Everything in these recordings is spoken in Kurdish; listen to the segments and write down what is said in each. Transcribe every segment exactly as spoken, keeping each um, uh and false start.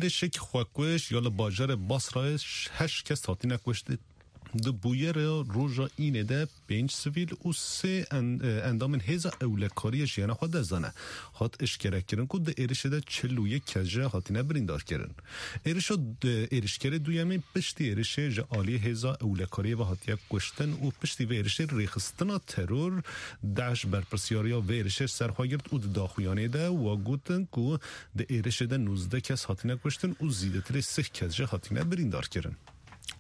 Êrişek xwekuş ya li bajarê Basrayê heşt kes hatine kuştin. Di bûyera roja Înê de pênc sivîl û sê en-, e, endamên hêza ewlekariyê jiyana xwe dest dane. Hat eşkerekirin ku di êrişê de çil û yek kes jî hatine birîndarkirin. Êrişa d-, êrişkerê duyemîn piştî êrişê ji aliyê hêza ewlekariyê ve hatiye kuştin û piştî vê êrişê rêxistina teror DAIŞ berpirsyariya vê êrişê ser xwe girt û di daxuyanê de wa gotin ku di êrişê de nûzdeh kes hatine kuştin û zîdetirê sih kes jî hatine birîndarkirin.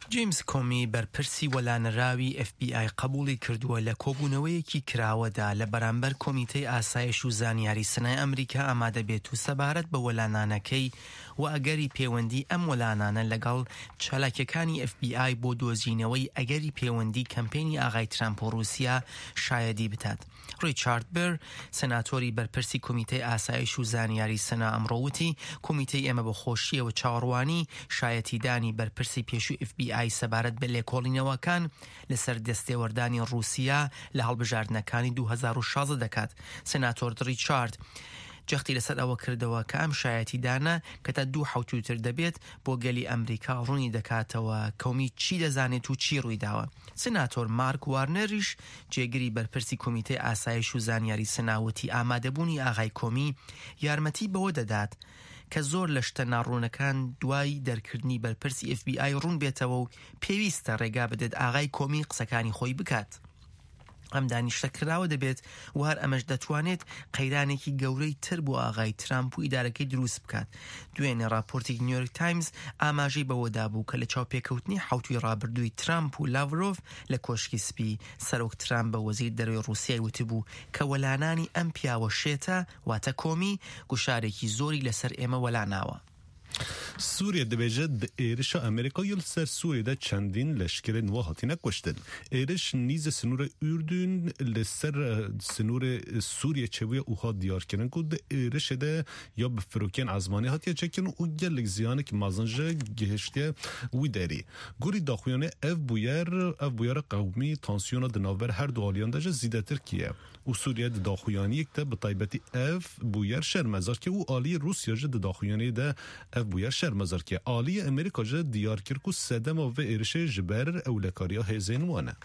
James Comey, berpirsî welanarawî F B I, qebûlî kردووە لە کۆبوونەوەیەکی کراوەدا لە بەرامبەر کۆمیتەی ئاسایش و زانیاری سنای ئەمریکا ئامادە بێت و سەبارەت بە وەلانانەکەی و ئەگەری پەیوەندی ئەم وەلانانە لەگەڵ چالاکیەکانی F B I بۆ دۆزینەوەی ئەگەری پەیوەندی کەمپەینی ئاغای ترامپ و رووسیا شایەدی بدات. ڕیچارد بر، سناتۆری بەرپرسی کۆمیتەی ئاسایش و زانیاری سنا ئەمڕۆ وتی، کۆمیتەی ئێمە بە خۆشیەوە چاوەڕوانی شایەتیدانی بەرپرسی پێشووی F B I سەبارەت بە لێکۆڵینەوەکان لەسەر دەستێوەردانی رووسیا لە هەڵبژاردنەکانی دوو هەزار و شازدە دەکات. سناتۆر ڕیچارد جەختی لەسەر ئەوە کردەوە کە ئەم شایەتیدانە کە تا دوو حەوتووتر دەبێت بۆ گەلی ئەمریکا ڕوونی دەکاتەوە کۆمی چی دەزانێت و چی ڕوویداوە. سناتۆر مارک وارنەریش، جێگری بەرپرسی کۆمیتەی ئاسایش و زانیاری سناوتی، ئامادەبوونی ئاغای کۆمی یارمەتی بەوە دەدات کە زۆر لە شتە ناڕوونەکان دوای دەرکردنی بەرپرسی F B I ڕوون بێتەوە و پێویستە ڕێگا بدەێت ئاغای کۆمی قسەکانی خۆی بکات. ئەم دانیشتە کراوە دەبێت و هەر ئەمەش دەتوانێت قەیرانێکی گەورەی تر بۆ ئاغای ترامپ و ئیدارەکەی دروست بکات. دوێنێ راپۆرتێکی نیویۆرک تایمز ئاماژەی بەوەدا بوو کە لە چاوپێکەوتنی حەوتوی ڕابردووی ترامپ و لاڤرۆڤ لە کۆشکی سپی، سەرۆک ترامپ بە وەزیر دەرەوەی رووسیای وتبوو کە وەلانانی ئەم پیاوە شێتە، واتە کۆمی، گوشارێکی زۆری لەسەر ئێمە وەلاناوە. Sûriye dibêje, di êrişa Amerîka ya li ser Sûriyê de çendîn leşkerên wê hatine kuştin. Êriş nîzê sinûrê Urdun li ser, e, sinûrê Sûriyê çêbûye û hat diyarkirin ku di êrişê de ya bi firokeyên ezmanî hatiye çêkirin û gelek ziyanek mezin jî gihiştiye wî derî. Gorî daxuyanê ev bûyer, ev bûyera qewmî tansiyona di navber her du aliyan de jî zîdetir kiriye. Û Sûriye di daxuyaniyek de bi taybetî ev bûyer şermezar kir û aliyê Rûsya jî di daxuyaniyê de ev bûyer şermezar kir. Aliyê Amerîka jî diyar kir ku sedema vê êrişê ji ber ewlekariya hêzên wan e.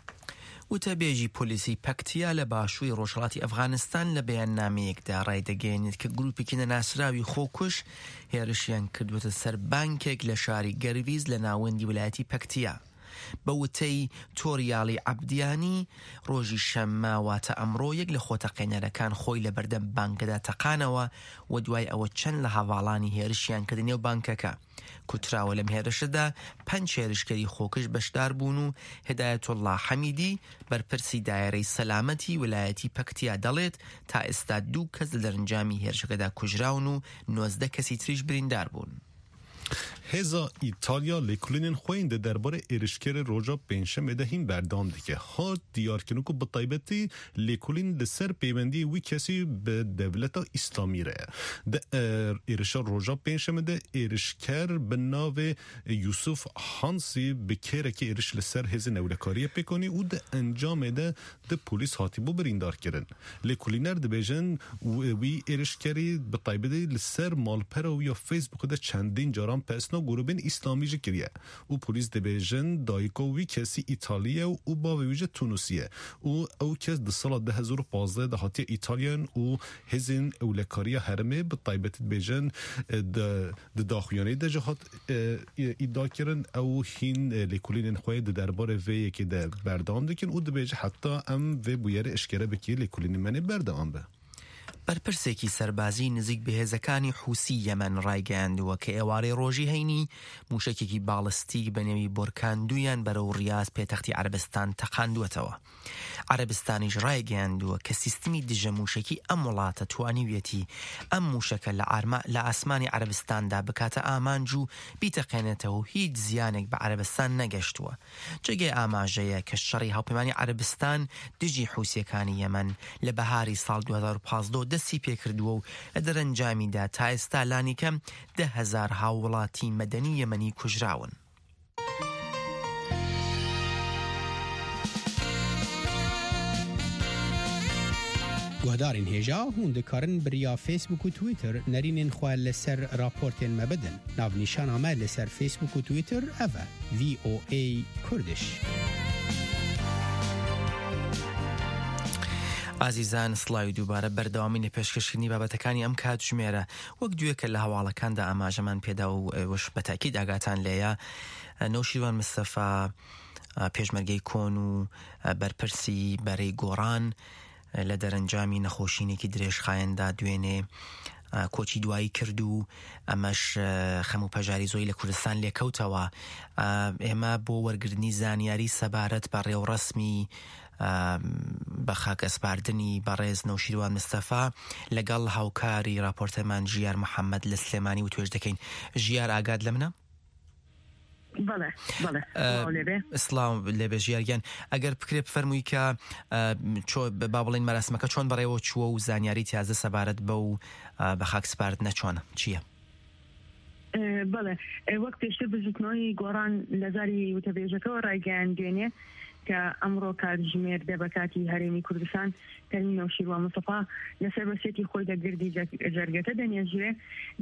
وتەبێژی پۆلیسی پەکتیا لە باشووری ڕۆژهەڵاتی ئەفغانستان لە بەیاننامەیەکدا ڕایدەگەیەنێت کە گروپێکی نەناسراوی خۆکوش هێرشیان کردووەتە سەر بانکێک لە شاری گەرویز لە ناوەندی ویلایەتی پەکتیا. بە وتەی تۆریالی عەبدیانی، ڕۆژی شەممە، واتە ئەمڕۆ، یەک لە خۆتەقێنەرەکان خۆی لە بەردەم بانکەدا تەقانەوە و دوای ئەوە چەند لە هەڤاڵانی هێرشیان کردە نێو بانکەکە. کوتراوە لەم هێرشەدا پەنج هێرشکەری خۆکش بەشدار بوون و هدایەتوڵڵا حەمیدی، بەرپرسی دایرەی سەلامەتی ویلایەتی پەکتیا، دەڵێت تا ئێستا دوو کەس لە دەرەنجامی هێرشەکەدا کوژراون و نۆزدە کەسی تریش بریندار بوون. Hêza Îtalya lêkolînên xwe yên di derbarê êrişkerê roja Pêncşemê de hîn berdewam dike. Hat diyarkirin ku bi taybetî lêkolîn li ser peywendiyê wî kesî bi Dewleta Îslamî re ye. Di, e, êrişa roja Pêncşemê de êrişker bi navê Yusuf Hansî bi kêrekê êriş li ser hêzên ewlekariyê pêk anî û di encamê de di polîs hatibû birîndar kirin. Lêkolîner dibêjin, w-, wî êrişkerî bi taybetî li ser malpera wî ya Facebookê de çendîn caran pesna grûbên îslamî jî kiriye û polîs dibêjin dayika wî kesî Îtalî ye û bavê wî jî Tunusî ye û ew kes di sala du hezar û pazdeh de hatiye Îtalyan û hêzên ewlekariya herêmê bi taybetî dibêjin, e, di Di daxuyanî de jî hat, e, î-, îdia kirin, ew hîn, e, lêkolînên xwe di derbarê vê yekê de berdewam dikin û dibêje heta em vê bûyerê eşkere bikî lêkolînên me nê berdewam be. بەرپرسێکی سەربازی نزیک بە هێزەکانی حوسی یەمەن ڕایگەیاندووە کە ئێوارەی ڕۆژی هەینی موشەکێکی باڵستیک بە نێوی بۆرکان دوویان بەرەو ڕیاز پێتەختی عەرەبستان تەقاندووەتەوە. عەرەبستانیش ڕایگەیاندووە کە سیستمی دژە موشەکی ئەم وڵاتە توانیویەتی ئەم موشەکە لە ئارما-، لە ئاسمانی عەرەبستاندا بکاتە ئامانج و بیتەقێنێتەوە و هیچ زیانێک بە عەرەبستان نەگەشتووە. جێگەی ئاماژەیە کە شەڕی هاوپەیمانی عەرەبستان دژی حوسیەکانی یەمەن لە بەهاری ساڵ دوو هەزار و پازدە دەستی پێکردووە و لە دەرەنجامیدا تا ئێستا لانی کەم دە هەزار هاووڵاتی مەدەنی یەمەنی کوژراون. Guhdarên hêja, hûn dikarin bi riya Facebook û Twitter nerînên xwe li ser raportên me bidin. Navnîşana me li ser Facebook û Twitter ev e, V O A Kurdish. ئازیزان، سڵاوی دووبارە. بەردەوامی لە پێشکەشکردنی بابەتەکانی ئەم کاتژمێرە. وەک دوێکە لە هەواڵەکاندا ئاماژەمان پێدا و، ئێوەش بە تاکید ئاگاتان لێیە، نەوشیروان مستەفا، پێشمەرگەی کۆن و بەرپرسی بەرەی گۆڕان، لە دەرەنجامی نەخۆشینێکی درێژخایەندا دوێنێ، ئە، کۆچی دوایی کرد و ئەمەش، ئە، خەم و پەژاری زۆری لە کوردستان لێکەوتەوە. ئە، ئێمە بۆ وەرگرتنی زانیاری سەبارەت بە ڕێوڕەسمی، ئە، بە خاک ئەسپاردنی بەڕێز نەوشیروان مستەفا لەگەڵ هاوکاری راپۆرتەرمان ژیار محەممەد لە سلێمانی و توێژ دەکەین. ژیار، ئاگات لە منە؟ بەڵێ، بەڵێ. ئە، سڵاو لێبێ. سڵاو لێبێ ژیارگیان. ئەگەر بکرێ بفەرمووی کە، ئە، چۆ-، با بڵێن مەراسمەکە چۆن بەڕێوە چووە و زانیاری تازە سەبارەت بە و، ئە، بە خاک سپاردنە چۆنە؟ چییە؟ ئە، بەڵێ. ئە، وەک پێشتر بزوتنەوەی گۆڕان لە زاری وتەبێژەکەەوە ڕایگەیاندوێنێ کە ئەمڕۆ کاتژمێر دە بە کاتی هەرێمی کوردستان تەرمی نەوشیروان مستەفا لەسەر بەسێتی خۆی دەگردی جەرگەکە دەنێژرێ.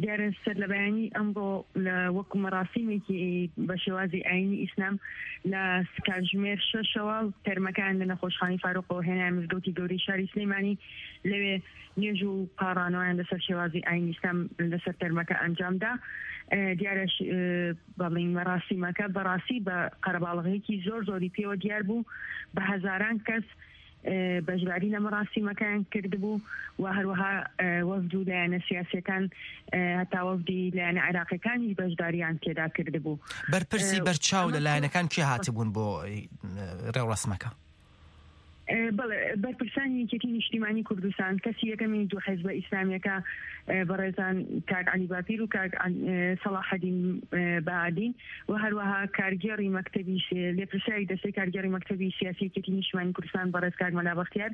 دیارە سەر لە بەیانی ئەمڕۆ لە وەکو مەراسیمێکی بە شێوازی ئاینی ئیسلام لە کاتژمێر شەشەوە تەرمەکان لە نەخۆشخانەی فاروقەوە هێنایە مزگەوتی گەورەی شاری سلێمانی. لەوێ نوێژ و پاڕانەوەیان لەسەر شێوازی ئاینی ئیسلام لەسەر تەرمەکە ئەنجامدا. ئە، دیارە ش-، ئە، بەڵین مەراسیمەکە بەڕاستی بە قەرەباڵغیەکی زۆر زۆری پێوە دیار بوو. بە هەزاران کەس، ئە، بەشداری لە مەراسیمەکەیان کردبوو و هەروەها، ئە، وەفد و لایەنە سیاسیەکان، ئە، هەتا وەفدی لایەنە عێراقیەکانیش بەشداریان تێدا کردبوو. بەرپرسی ئە، بەرچاو لە ئەمە لایەنەکان کێ هاتبوون بۆ، ئە، ڕێوڕەسمەکە؟ ئە، بەڵێ، بەرپرسانی یەکێتی نیشتیمانی کوردستان، کەسی یەکەمی دوو حیزبە ئیسلامیەکە، ئە، بەڕێزان کاک عەلی باپیر و کاک عەل-، ئە، سەڵاحەدین، ئە، بەهادین و هەروەها کارگێڕی مەکتەبی ش-، لێپرسیاری دەستەی کارگێڕی مەکتەبی سیاسی یەکێتی نیشتیمانی کوردستان بەڕێز کاک مەلا بەختیار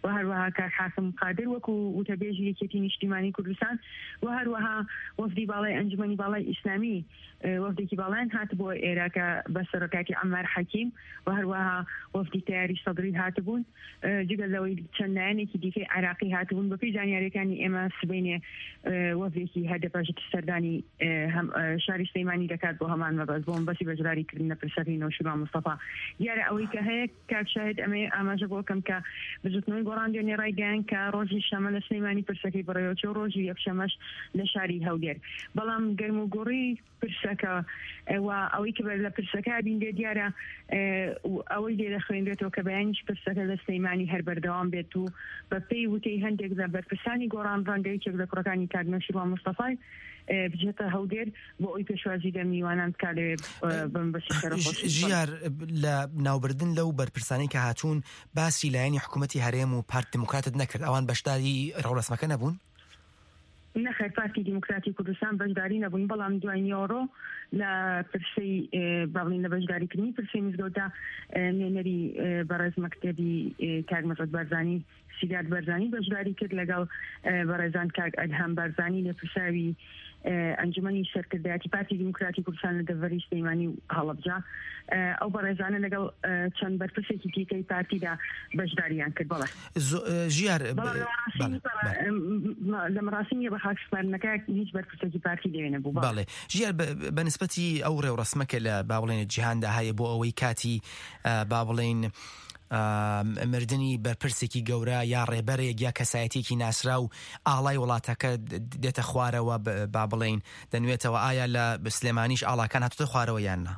و هەروەها کاک حاکم قادر وەکو وتەبێژی یەکێتی نیشتیمانی کوردستان و هەروەها وەفدی باڵای ئەنجومەنی باڵای ئیسلامی، ئە، وەفدێکی باڵایان هاتبووە ئێرە کە بە سەرۆکاتی عەمار حەکیم و هەروەها وەفدی تەیاری سەدری هاتبوون. ئە، جگە لەوەی چەند لایەنێکی دیکەی عێراقی هاتبوون. بە پێی زانیاریەکانی ئێمە سبەینێ، ئە، وەفدێکی هەدەپە ژت سەردانی، ئە، هەم، ئە، شاری سلەیمانی دەکات بۆ هەمان مەبەست، بۆ مەبەستی بەشداری کردن لە پرسەکەی نەوشیروان مستەفا. دیارە ئەوەی کە هەیە کاک شاهد، ئەمەیە ئاماژە بۆ کەم کە بزوتنەوەی گۆڕان دوێنێ ڕایگەیان کە ڕۆژی شەمە لە سلەیمانی پرسەکەی بەڕێوەچوو، ڕۆژی یەکشەمەش لە شاری هەولێر. بەڵام گەرموگوڕی پرسەکە، ئە، و ئەوەی کە بەر لە پرسەکە بین لێ دیارە، ئە، و ئەوەی لێ دەخوێنرێتەوە کە بەیانیش پرسەکە لە سلەیمانی هەر بەردەوام بێت و بە پێی وتەی هەندێک لە بەرپرسانی گۆڕان ڕەنگە یەکێک لە کوڕەکانی کاک نەوشیروان مستەفای، ئە، بچێتە هەولێر بۆ ئەوی پێشوازی لە میوانان بکا لێ، ئە، بم بەسی شەرەف ژ-، خۆشی بکەن. ژیار، لە ناوبردن لەو بەرپرسانەی کە هاتوون باسی لایەنی حکوومەتی هەرێم و پارت دیموکراتت نەکرد، ئەوان بەشداری ڕەوڕەسمەکە نەبوون؟ نەخێر، پارتی دیموکراتی کوردستان بەشداری نەبوون، بەڵام دوای نیۆڕۆ لە پرسەی، ئێ، بەڵین لە بەشداریکردنی پرسەی مزگەوتدا، ئێ، نوێنەری، ئێ، بەڕێز مەکتەبی، ئێ، کاک مەسعود بارزانی، سیداد بارزانی بەشداری کرد لەگەڵ، ئێ، بەڕێزان کاک ئەدهەم بارزانی لێپرساوی، ئێ، ئەنجومەنی سەرکردایەتی پارتی دیموکراتی کوردستان لە دەڤەری سلەیمانی و هەڵەبجە. ئێ، ئەو بەڕێزانە لەگەڵ، ئێ، چەند بەرپرسێکی دیکەی پارتیدا بەشداریان کرد. بەڵێ. زۆ-، ئێ، ژیار، بەڵێ، ب-، لە مەراسیمی بەڵێ، بەڕ-، بەڵێ. ئێم، لە مەراسیمی بە خاکسپاردنەکە هیچ بەرپرسێکی پارتی لەوێ نەبوو. بەڵێ. بەڵێ. ژیار، بە، بە نسبەتی ئەو ڕێوڕەسمە کە لە، با بڵێن، جیهاندا هەیە بۆ ئەوەی کاتی، ئە، با بڵێن، ئە، مردنی بەرپرسێکی گەورە یا ڕێبەرێک یا کەسایەتیەکی ناسرا و ئاڵای وڵاتەکە د-، دێتە خوارەوە، ب-، با بڵێن، دەنوێتەوە. ئایا لە سلێمانیش ئاڵاکان هاتوتە خوارەوە یان نا؟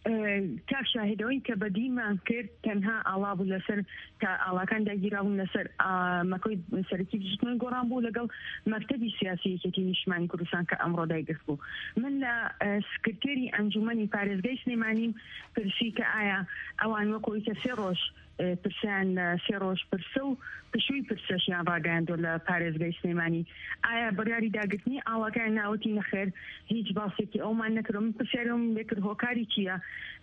ئێ، کاک شاهد، ئەوەی کە بەدیمان کرد تەنها ئاڵا بوو لەسەر، کە ئاڵاکان داگیرا بوون لەسەر، ئا، مەکۆی سەرەکی بزوتنەوەی گۆڕان بوو لەگەڵ مەکتەبی سیاسی یەکێتی نیشتیمانی کوردستان کە ئەمڕۆ دایگرت بوو. من لە، ئێ، سکرتێری ئەنجومەنی پارێزگای سلێمانیم پرسی کە ئایا ئەوان وەکۆی کە سێ ڕۆژ، ئێ، پرسیان لە سێ ڕۆژ پرسە و پشووی پرسەشیان ڕاگەیاندووە لە پارێزگای سلێمانی. ئایا بڕیاری داگرتنی ئاڵاکەیان ناوەتی؟ نەخێر، هیچ باسێکی ئەومان نەکردووە. من پرسیارم لێ کرد هۆکاری چییە؟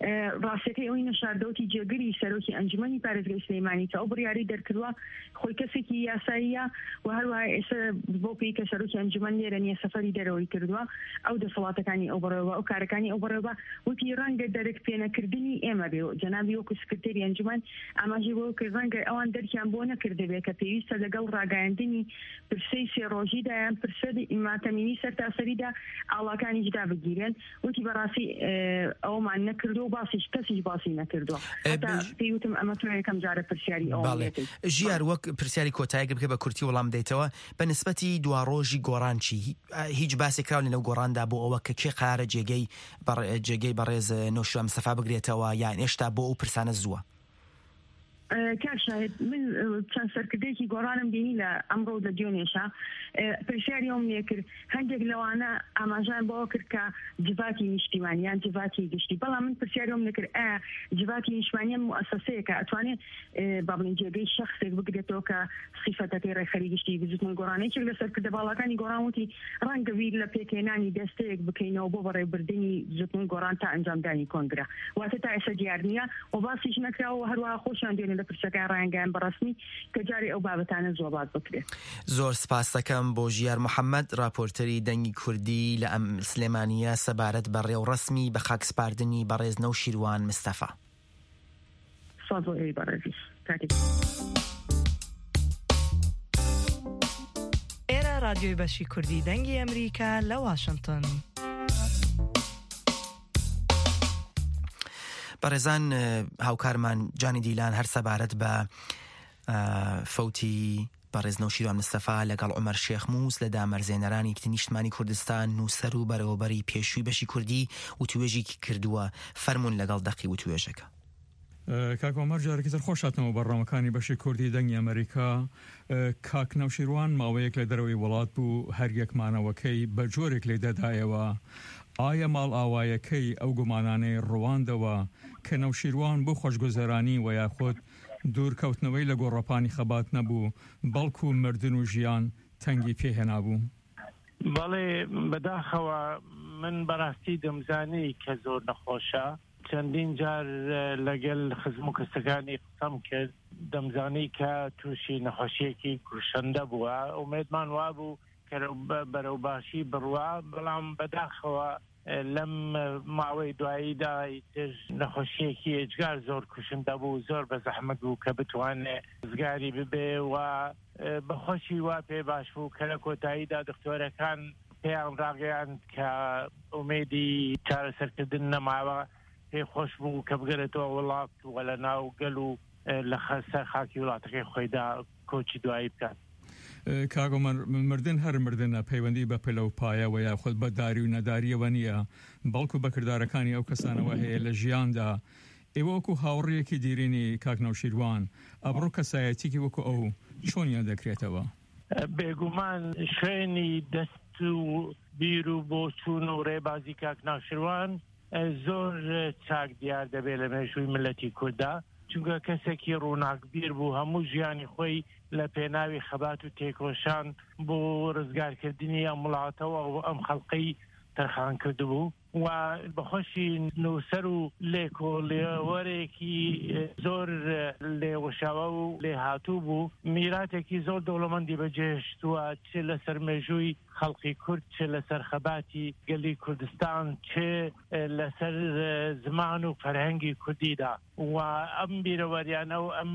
ئێ، ڕاستیەکەی ئەوەی نەشاردەوتی جێگری سەرۆکی ئەنجومەنی پارێزگای سلەیمانی کە ئەو بڕیاری دەرکردووە، خۆی کەسێکی یاساییە و هەروەها ئێستا بۆ پێی کە سەرۆکی ئەنجومەن لێرە نییە، سەفەری دەرەوەی کردووە، ئەو دەسەڵاتەکانی ئەو بەڕێوە، ئەو کارەکانی ئەو بەڕێوە، وتی ڕەنگە دەرک پێنەکردنی ئێمە بێ. جەنابی وەکو سکرتێری ئەنجومەن ئاماژەی بۆ کرد، ڕەنگە ئەوان دەرکیان بۆ نەکردبێ کە پێویستە لەگەڵ ڕاگەیاندنی پرسەی سێ ڕۆژیدا یان پرسە ماتەمینی سەرتاسەریدا ئاڵاکانیش دابگیرێن. وتی بەڕاستی ئەومان نەکردو و باسیش کەسیش باسی نەکردووە. هەتا پێی وتم ئەمە تۆ یەکەم جارە پرسیاری ئەوم بەڵێ. لێ دەیت. ژیار، وەک پرسیاری کۆتایەک بکە بە کورتی وەڵام بدەیتەوە، بە نسبەتی دوا ڕۆژی گۆڕان چی؟ هی-، هیچ باسێک کراو لە نەو گۆڕاندا بۆ ئەوە کە کێ قرارە جێگەی بەڕ-، جێگەی بەڕێز نەوشیروان مستەفا بگرێتەوە، یان ئێشتا بۆ ئەو پرسانە زووە؟ کاک شاهد، من چەند سەرکردەیەکی گۆڕانم بینی لە ئەمڕۆ و لە دوێنێشا. پرسیاری ئەوم لێ کرد، هەندێک لەوانە ئاماژان بەوە کرد کە جڤاتی نیشتیمانی یان جڤاتی گشتی، بەڵام من پرسیاری ئەوم لێ کرد، ئایا جڤاتی نیشتیمانی ئەم موئەسەسەیە کە ئەتوانێت با بڵێن جێگەی شەخسێک بگرێتەوە کە سیفەتەکەی ڕێکخەری گشتی بزوتنەوەی گۆڕان. یەکێک لە سەرکردە باڵاکانی گۆڕان وتی ڕەنگە بیر لە پێکهێنانی دەستەیەک بکەینەوە بۆ بەڕێوەبردنی بزوتنەوەی گۆڕان تا ئەنجامدانی کۆنگرە. واتە تا ئێستا دیار نییە و باسیش نەکراوە و هەروەها خۆشیان دوێنێ لە پرسەکە ڕایانگەیان بەڕەسمی کە جارێ ئەو بابەتانە زۆبات بکرێت. زۆر سپاس دەکەم بۆ ژیار محەممەد، راپۆرتەری دەنگی کوردی لە ئەم سلێمانیە سەبارەت بە ڕێوڕەسمی بە خاکسپاردنی بەڕێز نەوشیروان مستەفا. سازۆ ئەی بەڕێزی. کاتێک. ئێرە ڕادیۆی بەشی کوردی دەنگی ئەمریکا لە واشنگتن. بەڕێزان، هاوکارمان جانی دیلان هەر سەبارەت بە، ئە، فەوتی بەڕێز نەوشیروان مستەفا لەگەڵ عومەر شێخ موس لە دامەرزێنەرانی نیشتمانی کوردستان، نووسەر و بەرەوەبەری پێشووی بەشی کوردی وتوێژێکی کردووە. فەرموون لەگەڵ دەقی وتوێژەکە. ئە، کاک عومەر، جارێکی تر خۆش هاتنەوە بەڕامەکانی بەشی کوردی دەنگی ئەمریکا. ئە، کاک نەوشیروان ماوەیەک لە دەرەوەی وڵات بوو، هەر یەکمانەوەکەی بە جۆرێک لێ دەدایەوە. ئایا ماڵ ئاوایەکەی ئەو گومانانەی ڕواندەوە کە نەوشیروان بۆ خۆشگوزەرانی و یاخود دوورکەوتنەوەی لە گۆڕەپانی خەبات نەبوو، بەڵکو مردن و ژیان تەنگی پێهێنابوو؟ بەڵێ، بەداخەوە من بەڕاستی دەمزانی کە زۆر نەخۆشە. چەندین جار، ئە، لەگەل خزم و کەسەکانی قسەم کرد، دەمزانی کە تووشی نەخۆشیەکی کوشەندە بووە. ئومێدمان وابوو کە بە-، بەرەو باشی بڕوا، بەڵام بەداخەوە، ئە، لەم ماوەی دواییدا ئیتر نەخۆشیەکی ئێجگار زۆر کوشندە بوو، زۆر بە زەحمەت بوو کە بتوانێ ڕزگاری ببێ و، ئە، بەخۆشی وا پێ باش بوو کە لە کۆتاییدا دکتۆرەکان پێیان ڕاگەیاند کە ئومێدی چارەسەرکردن نەماوە، پێی خۆش بوو کە بگەرێتەوە وڵات و لە ناو گەل و، ئە، لە خە-، سەر خاکی وڵاتەکەی خۆیدا کۆچی دوایی بکات. ئە، کاک عومەر، مردن هەر مردنە، پەیوەندی بە پلە و پایەوە یاخود بە داری و نەداریەوە نییە، بەڵکو بە کردارەکانی ئەو کەسانەوە هەیە لە ژیاندا. ئێوە وەکو هاوڕێیەکی دیرینی کاک نەوشیروان، ئەبڕۆ کەسایەتیەکی وەکو ئەو چۆن یاد دەکرێتەوە؟ بێگومان شوێنی دەست و بیر و بۆچوون و ڕێبازی کاک ناشروان، ئە، زۆر چاک دیار دەبێت لە مێژووی ملەتی کووردا، چونکە کەسێکی ڕووناکبیر بوو، هەموو ژیانی خۆی لە پێناوی خەبات و تێکۆشان بۆ ڕزگارکردنی ئەم وڵاتەوە و ئەم خەڵقەی تەرخان کردبوو. و بەخۆشی نووسەر و لێکۆڵێوەرێکی زۆر لێوەشاوە و لێهاتوو بوو. میراتێکی زۆر دەوڵەمەندی بەجێهێشتووە، چ لەسەر مێژووی خەڵقی کورد، چ لەسەر خەباتی گەلی کوردستان، چ لەسەر زمان و فەرهەنگی کوردیدا. و ئەم بیرەوەریانە و ئەم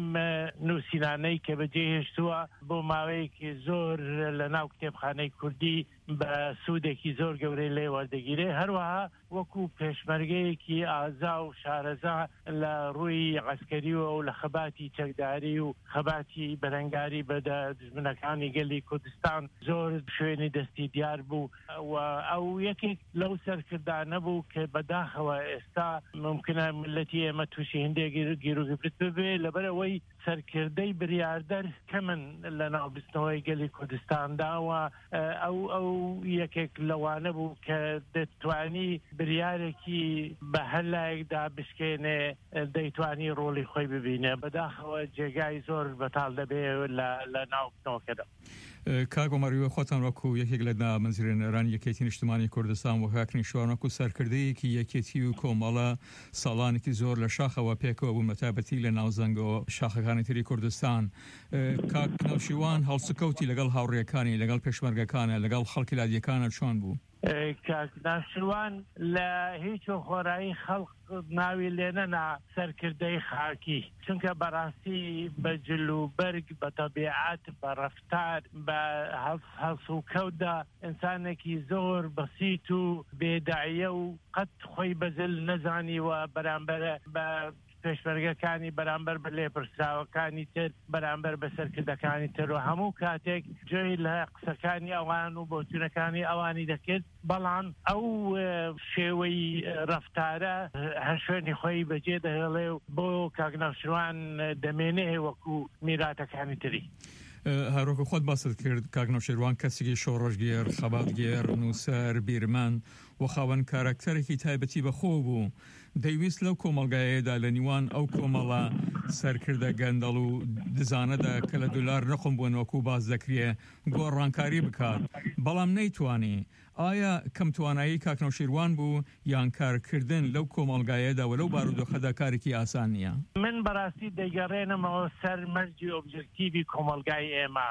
نووسینانەی کە بەجێهێشتووە بۆ ماوەیەکی زۆر لە ناو کتێبخانەی کوردی بە سوودێکی زۆر گەورەی لێ وەردەگیرێ. هەروەها وەکو پێشمەرگەیەکی ئازا و شارەزا لە ڕووی عەسکەریەوە و لە خەباتی چەکداری و خەباتی بەرەنگاری بە دە-، دوژمنەکانی گەلی کوردستان زۆر شوێنی دەستی دیار بوو. و ئەو یەکێک لەو سەرکردانە بوو کە بەداخەوە ئێستا ممکنە ملەتی ئێمە تووشی هەندێک گیر-، گیروگرفت ببێ، لەبەر ئەوەی سەرکردەی بریاردەر کەمن لە ناو بستنەوەی گەلی کوردستاندا و، ئە، ئەو، ئەو یەکێک لەوانە بوو کە دەتوانی بریارێکی بە هەر لایەکدا بشکێنێ، دەیتوانی ڕۆڵی خۆی ببینێ. بەداخەوە جێگای زۆر بەتاڵ دەبێ لە، لە ناو بستنەوەکەدا. کاک عومەر، ئێوە خۆتان وەکو یەکێک لە دامەزرێنەرانی یەکێتی نیشتمانی کوردستان و کاک نەوشیروان وەکو سەرکردەیەکی یەکێتی و کۆمەڵە ساڵانێکی زۆر لە شاخەوە پێکەوە بوون، بە تایبەتی لە ناوزەنگەوە شاخەکانی تری کوردستان. ئە، کاک نەوشیروان هەڵسوکەوتی لەگەڵ هاوڕێیەکانی، لەگەڵ پێشمەرگەکانە، لەگەڵ خەڵکی لادیەکانە چۆن بوو؟ کاک ناشروان لە هیچ و خۆرایی خەڵق ناوی لێنەنا سەرکردەی خاکی، چونکە بەڕاستی بە جل و بەرگ، بە تەبیعەت، بە ڕەفتار، بە هەڵس-، هەڵس و کەوتدا ئینسانێکی زۆر بەسیت و بێداعیە و قەت خۆی بەزل نەزانی و بەرامبەر بە پێشمەرگەکانی، بەرامبەر بە لێپرسراوەکانی تر، بەرامبەر بە سەرکردەکانی تر و هەموو کاتێک جۆی لە قسەکانی ئەوان و بۆچوونەکانی ئەوانی دەکرد. بەڵام ئەو، ئە، شێوەی ڕەفتارە هەر شوێنی خۆی بەجێ دەهێڵێ و بۆ کاک ناوشروان دەمێنێ وەکو میراتەکانی تری. ئە، هەروەکو خۆت باست کرد، کاک ناوشێروان کەسێکی شۆڕەشگێر، خەباتگێر، نووسەر، بیرمەند و خاوەن کارەکتەرێکی تایبەتی بەخۆ بوو. دەیویست لەو کۆمەڵگایەدا لە نیوان ئەو کۆمەڵە سەرکردە گەندەڵ و دزانەدا کە لە دولار نقم بوون وەکو باس دەکرێ، گۆڕانکاری بکات. بەڵام نەیتوانی. ئایا کەم توانایی کاک نەوشیروان بوو، یان کارکردن لەو کۆمەڵگایەدا و لەو بارودۆخەدا کارێکی ئاسان نییە؟ من بەڕاستی دەیگەڕێنمەوە سەر مەرجی ئۆبجەکتیڤی کۆمەڵگای ئێمە.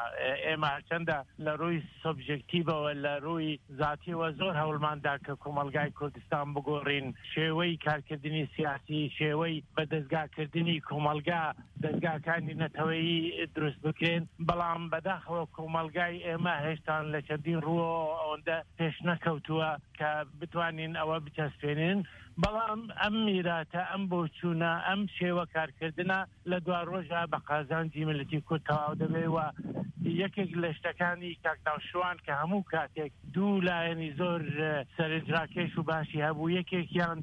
ئێمە هەرچەندە لە ڕووی سۆبژەکتیڤەوە، لە ڕووی زاتیەوە زۆر هەوڵماندا کە کۆمەڵگای کوردستان بگۆڕین، شێوەی کارکردنی سیاسی، شێوەی بە دەستگاکردنی کۆمەڵگا، دەستگاکانی نەتەوەیی دروست بکرێن، بەڵام بەداخەوە کۆمەڵگای ئێمە هێشتان لە چەندین ڕووەوە ئەوەندە پێش نەکەوتووە کە بتوانین ئەوە بچەسپێنین. بەڵام ئەم میراتە، ئەم بۆچوونە، ئەم شێوە کارکردنە لە دوا ڕۆژە بە قازانجی میللەتی کورد تەواو دەبێ و یەکێک لە شتەکانی کاک ناوشروان کە هەموو کاتێک دوو لایەنی زۆر، ئە، سەرنجڕاکێش و باشی هەبوو، یەکێکیان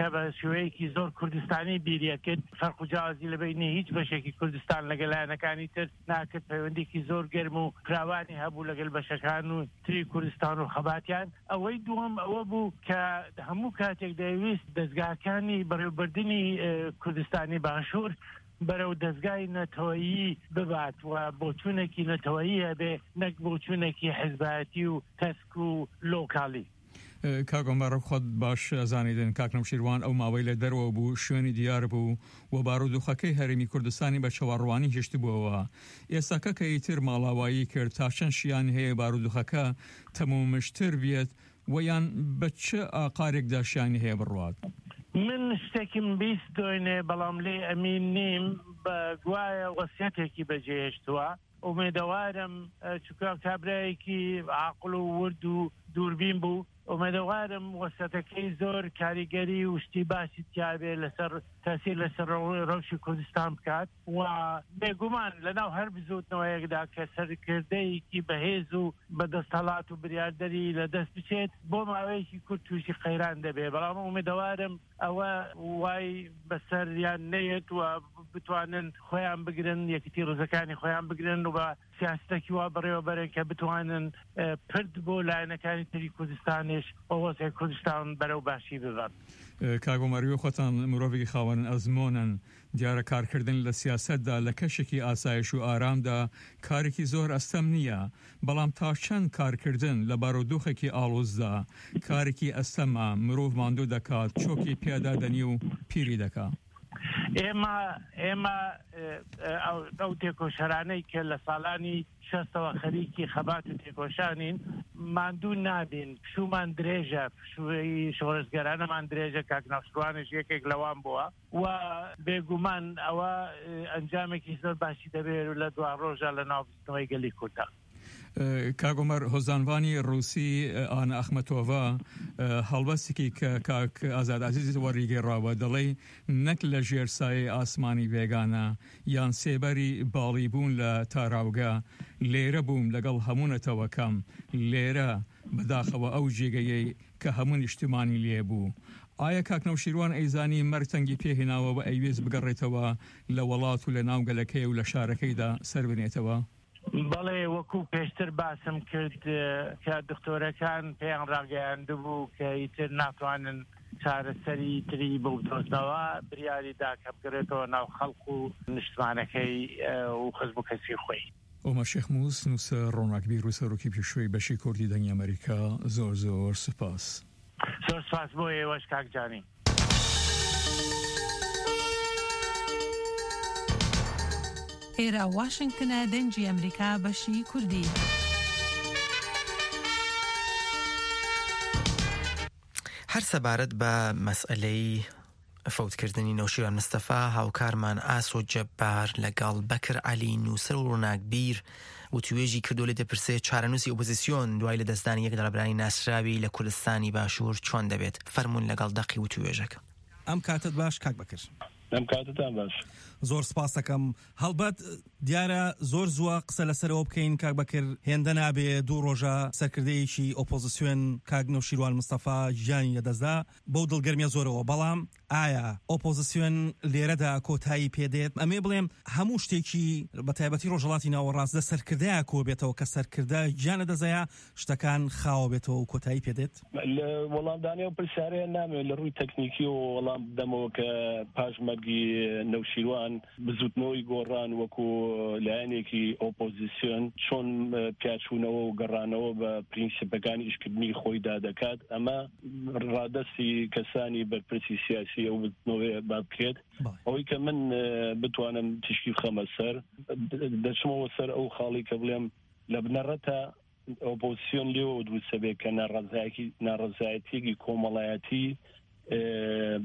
کە بە شێوەیەکی زۆر کوردستانی بیریە کرد، فەرق و جیاوازی لە بینی هیچ بەشێکی کوردستان لەگەڵ لایەنەکانی تر ناکرد، پەیوەندیەکی زۆر گەرم و فراوانی هەبوو لەگەڵ بەشەکان و تری کوردستان و خەباتیان. ئەوەی دووەم ئەوە بوو کە هەموو کاتێک دەیویست دەستگاکانی بەڕێوەبردنی، ئە، کوردستانی باشوور بەرەو دەستگای نەتەوەیی ببات و بۆچوونێکی نەتەوەیی هەبێ، نەک بۆچوونێکی حزبایەتی و تەسک و لۆکالی. ئە، کاک عومەر، خۆت باش ئەزانیدن، کاک نەوشیروان ئەو ماوەی لە دەرەوە بوو، شوێنی دیار بوو و بارودۆخەکەی هەرێمی کوردستانی بە چاوەڕوانی هێشتبووەوە. ئێستاکە کە ئیتر ماڵاوایی کرد، تا چەند شیان هەیە بارودۆخەکە تەمومشتر بێت و یان بە چ ئاقارێکدا شیانی هەیە بڕوات؟ من شتێکم بیست دوێنێ، بەڵام لێ ئەمین نیم، بە گوایە وەسیەتێکی بەجێهێشتووە. ئومێدەوارم، ئە، چونکە کابرایەکی عاقڵ و ورد و دووربین بوو، ئومێدەوارم وەسیەتەکەی زۆر کاریگەری و شتی باشی تیابێ لەسەر تەسیر لەسەر ڕەو-، ڕەوشی کوردستان بکات و بێگومان لەناو هەر بزوتنەوەیەکدا کە سەرکردەیەکی بەهێز و بە دەستهەڵات و بریاردەری لە دەست بچێت، بۆ ماوەیەکی کورت تووشی قەیران دەبێ. بەڵام ئومێدەوارم ئەوە وای بەسەریان نەیەت و بتوانن خۆیان بگرن، یەکیتی ڕزەکانی خۆیان بگرن و بە سیاستەکی وا بەڕێوەبەرن کە بتوانن، ئە، پرد بۆ لایەنەکانی تری کوردستانیش و وەزعی کوردستان بەرەو باشی ببەن. ئە، کاک عومەر، وێ خۆتان مرۆڤێکی خاوەن ئەزمۆنن. دیارە کارکردن لە سیاسەتدا لە کەشێکی ئاسایش و ئارامدا کارێکی زۆر ئەستەم نییە، بەڵام تا چەند کارکردن لە بارودۆخێکی ئاڵۆزدا کارێکی ئەستەمە، مرۆڤ ماندوو دەکات، چۆکی پێدا دەنی و پیری دەکا. ئێمە، ئێمە، ئێ، ئێ، ئەو، ئەو تێکۆشەرانەی کە لە ساڵانی شەستەوە خەریکی خەبات و تێکۆشانین، ماندوو نابین، پشوومان درێژە، پشووی شۆڕشگەرانەمان درێژە، کاک ناوشروانش یەکێک لەوان بووە و بێگومان ئەوە، ئێ، ئەنجامێکی زۆر باشی دەبێت و لە دوا ڕۆژە لە ناو بزوتنەوەی گەلی کوردە. ئە، کاک عومەر، هۆزانڤانی ڕووسی، ئە، ئانا ئەخمەتۆڤا، ئە، هەڵبەستێکی کە کاک ئازاد عەزیز وەڕیگەڕاوە، دەڵێ، نەک لە ژێر سایەی ئاسمانی بێگانە یان سێبەری باڵی بوون لە تاراوگە، لێرە بووم لەگەڵ هەموو نەتەوەکەم، لێرە بەداخەوە ئەو جێگەیەی کە هەموو نیشتمانی لێ بوو. ئایا کاک نەوشیروان ئەیزانی مەرگ تەنگی پێهێناوە و ئەیوێز بگەڕێتەوە لە وڵات و لە ناوگەلەکەی و لە شارەکەیدا سەر بنێتەوە؟ بەڵێ، وەکو پێشتر باسم کرد، ئە، کە دکتۆرەکان پێیان ڕاگەیاندبوو کە ئیتر ناتوانن چارەسەری تری بۆ بدۆزنەوە، بریاری دا کە بگەڕێتەوە ناو خەڵق و نیشتمانەکەی، ئە، و خزم و کەسی خۆی. ئۆمەر شێخ موس، نووسەر، ڕۆناکبیر و سەرۆکی پێشووی بەشی کوردی دەنگی ئەمریکا، زۆر زۆر سوپاس. زۆر سوپاس بۆ ئێوەش، کاک جانی. ئێرە واشنگتنە، دەنگی ئەمریکا، بەشی کوردی. هەر سەبارەت بە مەسئلەی فەوتکردنی نەوشیروان مستەفا، هاوکارمان ئاسۆ جەبار لەگەڵ بەکر عەلی، نووسەر و ڕووناکبیر، وتوێژی کردو لێ دەپرسێ چارەنووسی ئۆپۆزیسیۆن دوای لەدەستدانی یەک لە ڕێبەرانی ناسراوی لە کوردستانی باشوور چۆن دەبێت؟ فەرموون لەگەڵ دەقی وتوێژەکە. ئەم کاتت باش، کاک بەکر. ئەم کاتتان باش. زۆر سپاس دەکەم. هەڵبەت دیارە زۆر زووە قسە لەسەرەوە بکەین، کاک بەکر. هێندە نابێ دوو ڕۆژە سەرکردەیەکی ئۆپۆزیسیۆن، کاک نەوشیروان مستەفا، گیانی لەدەستدا، بەو دڵگەرمیە زۆرەوە. بەڵام ئایا ئۆپۆزیسیۆن لێرەدا کۆتایی پێدێت؟ ئەمێ بڵێم هەموو شتێکی بە تایبەتی ڕۆژهەڵاتی ناوەڕاست لە سەرکردەیە کۆ بێتەوە، کە سەرکردە گیان لەدەستدایە شتەکان خاوە بێتەوە و کۆتایی پێدێت؟ لە وەڵامدانەوە پرسیارەیە نامێ لە ڕووی تەکنیکی و وەڵام بدەمەوە کە پاش مەرگی نەوشیروان بزوتنەوەی گۆڕان وەکو لایەنێکی ئۆپۆزیسیۆن چۆن، ئە، پیاچوونەوە و گەڕانەوە بە پرینسیپەکانی ئیشکردنی خۆیدا دەکات. ئەمە ڕادەستی کەسانی بەرپرسی سیاسی ئەو بزوتنەوەیە با بکرێت. بەڵێ. ئەوەی کە من، ئە، بتوانم تیشکی بخەمە سەر، د-، دەچمەوە سەر ئەو خاڵی کە بڵێم لە بنەڕەتە ئۆپۆزیسیۆن لێوە دروستە بێت کە ناڕەزایەکی-، ناڕەزایەتیەکی کۆمەڵایەتی، ئێ،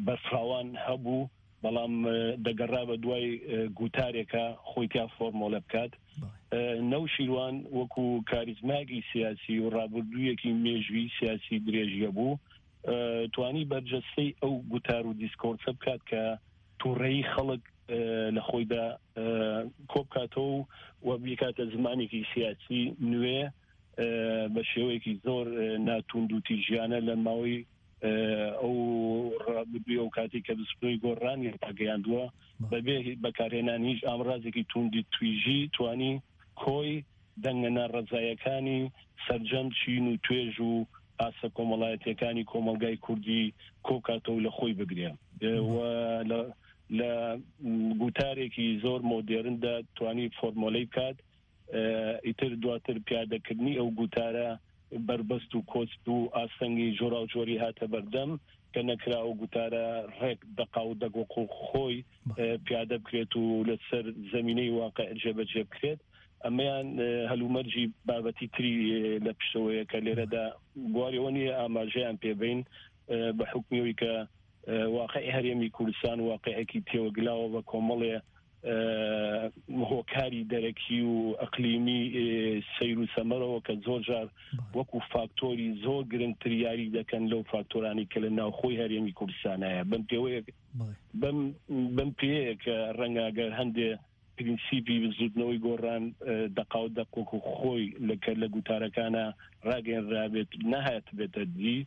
بەرفراوان هەبوو، بەڵام، ئێ، دەگەڕا بە دوای، ئێ، گوتارێکە خۆی تیا فۆرمۆلە بکات. بەڵێ. ئێ، نەوشیروان وەکو کاریزمایەکی سیاسی و ڕابردوویەکی مێژووی سیاسی درێژیە بوو، ئێ، توانی بەرجەستەی ئەو گوتار و دیسکۆرسە بکات کە تووڕەیی خەڵک، ئێ، لە خۆیدا، ئێ، کۆبکاتەوە و، و بیکاتە زمانێکی سیاسی نوێ، ئێ، بە شێوەیەکی زۆر، ئێ، ناتوند و تیژیانە لە ماوەی، ئێ، ئەو ڕابردووی ئەو کاتی کە بزوتنەوەی گۆڕانی ڕاگەیاندووە، بەڵێ. بەبێ بەکارهێنان هیچ ئامرازێکی توندی تویژی توانی کۆی دەنگە ناڕەزایەکانی سەرجەم چین و توێژ و ئاسە کۆمەڵایەتیەکانی کۆمەلگای کوردی کۆکاتەوە لە خۆی بگرێ. ئێ، بەڵێ. و لە، لە گوتارێکی زۆر مۆدێرندا توانی فۆرمۆلەی بکات. ئێ، ئیتر دواتر پیادەکردنی ئەو گوتارە بەربەست و کۆست و ئاستەنگی جۆرا و جۆری هاتە بەردەم کە نەکرا ئەو گوتارە ڕێک دەقا و دەگۆق و خۆی، بەڵێ. ئێ، پیادە بکرێت و لەسەر زەمینەی واقع جێبەجێ بکرێت. ئەمەیان، ئێ، هەلومەرجی بابەتی تری، ئێ، لە پشتەوەیە کە لێرەدا بواری ئەوە نییە ئاماژەیان پێبین، ئێ، بە حکمیەوەی کە، ئێ، واقعی هەرێمی کوردستان واقعێکی تێوەگلاوە بە کۆمەڵێ، ئێ، هۆکاری دەرەکی و ئەقلیمی، ئێ، سەیر و سەمەرەوە کە زۆر جار بەڵێ. وەکو فاکتۆری زۆر گرنگتر یاری دەکەن لەو فاکتۆرانی کە لە ناوخۆی هەرێمی کوردستانایە. بەم پێوەیە، بەڵێ. بەم، بەم پێیە کە ڕەنگە گەر هەندێ پرینسیپی بزوتنەوەی گۆڕان، ئێ، دەقا و دەق وەکو خۆی لە کە لە گوتارەکانە ڕاگەیەنرابێت، نەهات بێتە دی.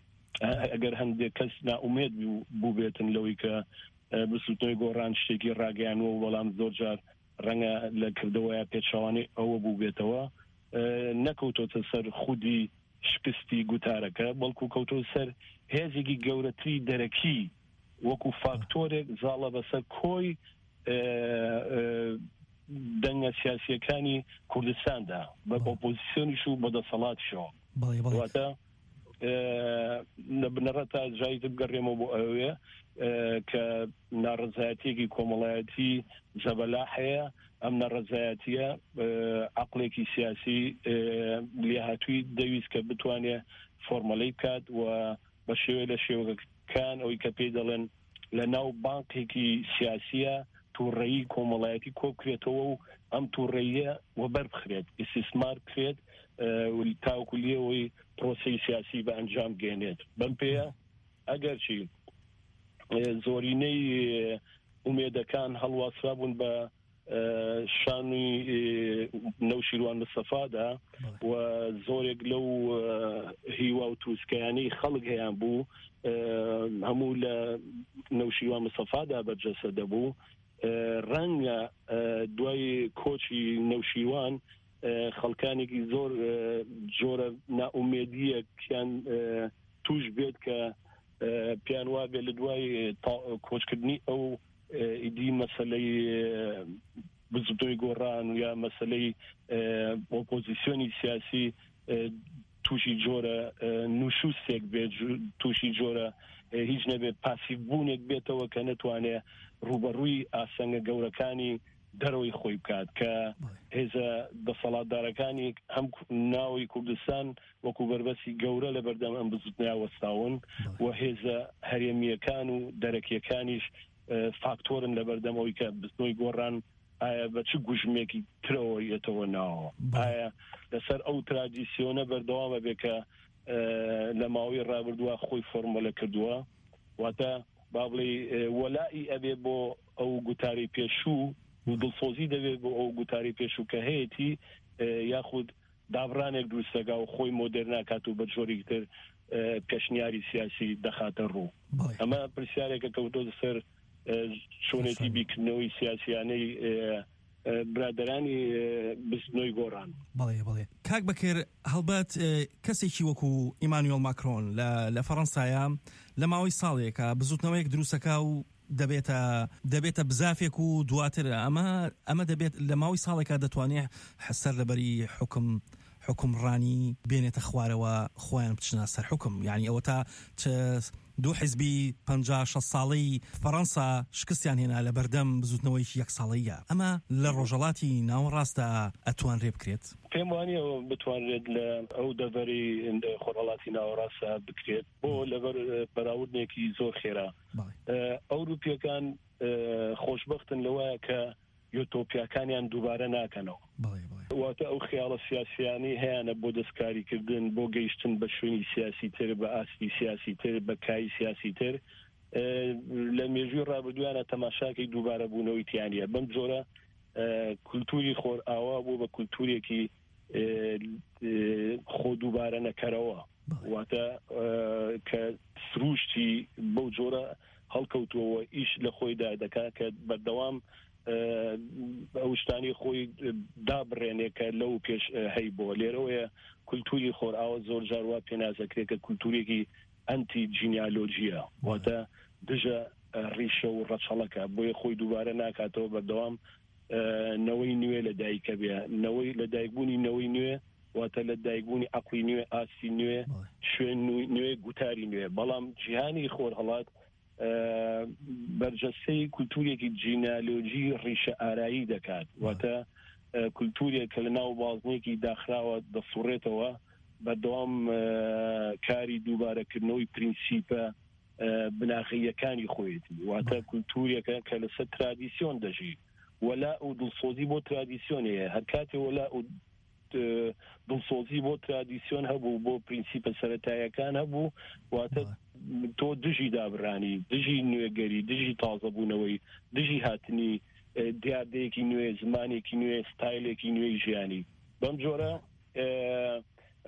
ئە-، ئەگەر هەندێک کەس ناومێد بوو-، بووبێتن لەوەی کە، ئێ، بزوتنەوەی گۆڕان شتێکی ڕاگەیانوە و بەڵام زۆر جار ڕەنگە لە کردەوەیە پێچەوانەی ئەوە بووبێتەوە، ئێ، نەکەوتۆتە سەر خودی شکستی گوتارەکە، بەڵکو کەوتۆ سەر هێزێکی گەورەتری دەرەکی وەکو فاکتۆرێک زاڵە بەسەر کۆی، ئێ، ئێ، دەنگە سیاسیەکانی کوردستاندا، بە بەڵێ. ئۆپۆزیسیۆنیش و بە دەسەڵاتشەوە. بەڵێ، بەڵێ. واتە، ئێ، لە بنەڕەتە جایی بگەڕێمەوە بۆ ئەوێ، ئێ، کە ناڕەزایەتیەکی کۆمەڵایەتی زەبەلا هەیە. ئەم ناڕەزایەتیە، ئێ، عەقڵێکی سیاسی، ئێ، لێهاتووی دەویست کە بتوانێ فۆرمەلەی بکات و بە شێوەیە لە شێوەکان ئەوەی کە پێی دەڵێن لە ناو بانقێکی سیاسیە تووڕەیی کۆمەڵایەتی کۆبکرێتەوە و ئەم تووڕەییە وەبەر بخرێت، ئیسیسمار بکرێت، ئێ، و تاوەکو لێەوەی پرۆسەی سیاسی بە ئەنجام گەێنێت. بەم پێیە ئەگەرچی، ئێ، زۆرینەی، ئێ، ئومێدەکان هەڵواسرا بوون بە، ئێ، شانوی، ئێ، نەوشیروان مستەفادا بەڵێ. و زۆرێک لەو، ئێ، هیوا و تروسکەیانەی خەڵک هەیان بوو، ئێ، هەموو لە نەوشیروان مستەفادا بەرجەستە دەبوو. ئێ، ڕەنگە، ئێ، دوای کۆچی نەوشیروان، ئێ، خەڵکانێکی زۆر، ئێ، جۆرە ناومێدیەکیان، ئێ، توش بێت کە، ئێ، پێیان وابێت لە دوای تا-، کۆچکردنی ئەو، ئێ، ئیدی مەسەلەی، ئێ، بزوتنەوەی گۆڕان و یا مەسەلەی، ئێ، ئۆپۆزیسیۆنی سیاسی، ئێ، تووشی جۆرە، ئێ، نوشوستێک بێت، جو-، تووشی جۆرە، ئێ، هیچ نەبێت، پاسیڤبوونێک بێتەوە کە نەتوانێت ڕوبەڕووی ئاسەنگە گەورەکانی دەرەوەی خۆی بکات، کە هێزە دەسەڵاتدارەکانی هەم کو-، ناوی کوردستان وەکو بەربەستی گەورە لە بەردەم ئەم بزوتنەیە وەستاون و هێزە هەرێمیەکان و دەرەکیەکانیش، ئە، فاکتۆرن لە بەردەم ئەوی کە بزنەوەی گۆڕان ئایا بە چ گوژمێکی ترەوە یەتەوە ناوە. ئایا لەسەر ئەو ترادیسیۆنە بەردەوامە بێ کە، ئە، لە ماوەی ڕابردووە خۆی فۆرمۆلە کردووە، واتە با بڵێ، ئە، وەلائی ئەبێ بۆ ئەو گوتاری پێشوو و دڵسۆزی دەبێ بۆ ئەو گوتاری پێشوو کە هەیەتی، ئە، یاخود دابڕانێک دروست دەکا و خۆی مۆدێر ناکات و بە جۆرێکی تر، ئە، پێشنیاری سیاسی دەخاتە ڕوو. ئەمە پرسیارێکە کەوتۆتە سەر، ئە، چۆنێتی بیکردنەوەی سیاسیانەی، ئە، ئە، برادەرانی، ئە، بزنۆی گۆڕان. بەڵێ، بەڵێ. کاک بەکر، هەڵبەت، ئە، کەسێکی وەکو ئیمانوێل ماکرۆن لە، لە فەڕەنسایە لە ماوەی ساڵێکە بزوتنەوەیەک دروستەکە و دەبێتە، دەبێتە بزافێک و دواتر ئەمە، ئەمە دەبێت لە ماوەی ساڵێکا دەتوانێت سەر لەبەری حکم، حکمڕانی بێنێتە خوارەوە، خۆیان بچنە سەر حکم. یعنی ئەوە تا چ دوو حیزبی پەنجا شەست ساڵەی فەڕەنسا شکستیان هێنا لە بەردەم بزوتنەوەیەکی یەک ساڵەیە. ئەمە لە ڕۆژهەڵاتی ناوەڕاستدا ئەتوانرێ بکرێت؟ پێم وانیە بتوانرێت لە ئەو دەڤەری خۆرهەڵاتی ناوەڕاستدا بکرێت بۆ لەبەر، ئە، بەراوردنێکی زۆر خێرا. ئە، ئەوروپیەکان، ئە، خۆشبەختن لەوەیە کە یۆتۆپیاکانیان دووبارە ناکەنەوە. واتە ئەو خیاڵە سیاسیانەی هەیانە بۆ دەستکاریکردن، بۆ گەیشتن بە شوێنی سیاسی تر، بە ئاستی سیاسی تر، بە کای سیاسی تر، ئە، لە مێژووی ڕابردوویانە تەماشاکەی دووبارە بوونەوەی تیانە. بەم جۆرە، ئە، کولتوری خۆرئاوا بوو بە کولتورێکی، ئە، ئە، خۆ دووبارە نەکەرەوە. واتە، ئە، کە سروشتی بەو جۆرە هەڵکەوتووەوە ئیش لە خۆیدا دەکات کە بەردەوام، ئە، ئەو شتانی خۆی دابڕێنێ کە لەو پێش، ئە، هەی بۆ. لێرەوەیە کولتوری خۆرئاوا زۆر جار وا پێناسەکرێت کە کولتورێکی ئەنتی جینیالۆجیە. واتە دژە، ئە، ڕیشە و ڕەچەڵەکە. بۆیە خۆی دووبارە ناکاتەوە، بەردەوام، ئە، نەوەی نوێ لە دایکە بێ. نەوەی، لە دایکبوونی نەوەی نوێ، واتە لە دایکبوونی عەقڵی نوێ، ئاستی نوێ، شوێن نوێ، گوتاری نوێ. بەڵام جیهانی خۆرهەڵات، ئە، بەرجەستەی کولتورێکی جینالۆجی ڕیشە ئارایی دەکات. واتە، ئە، کولتورێک کە لە ناو بازنێکی داخراوە دەسوڕێتەوە، بەردەوام، ئە، کاری دووبارەکردنەوەی پرینسیپە، ئە، بناغەییەکانی خۆیەتی. واتە کولتورێکە کە لەسەر ترادیسیۆن دەژی. وەلا و دڵسۆزی بۆ ترادیسیۆن هەیە. هەر کاتێ وەلا و، ئە، دڵسۆزی بۆ ترادیسیۆن هەبوو، بۆ پرینسیپە سەرەتایەکان هەبوو، واتە تۆ دژی دابرانی، دژی نوێگەری، دژی تازەبوونەوەی، دژی هاتنی، ئە، دیاردەیەکی نوێ، زمانێکی نوێ، ستایلێکی نوێی ژیانی. بەم جۆرە، ئە،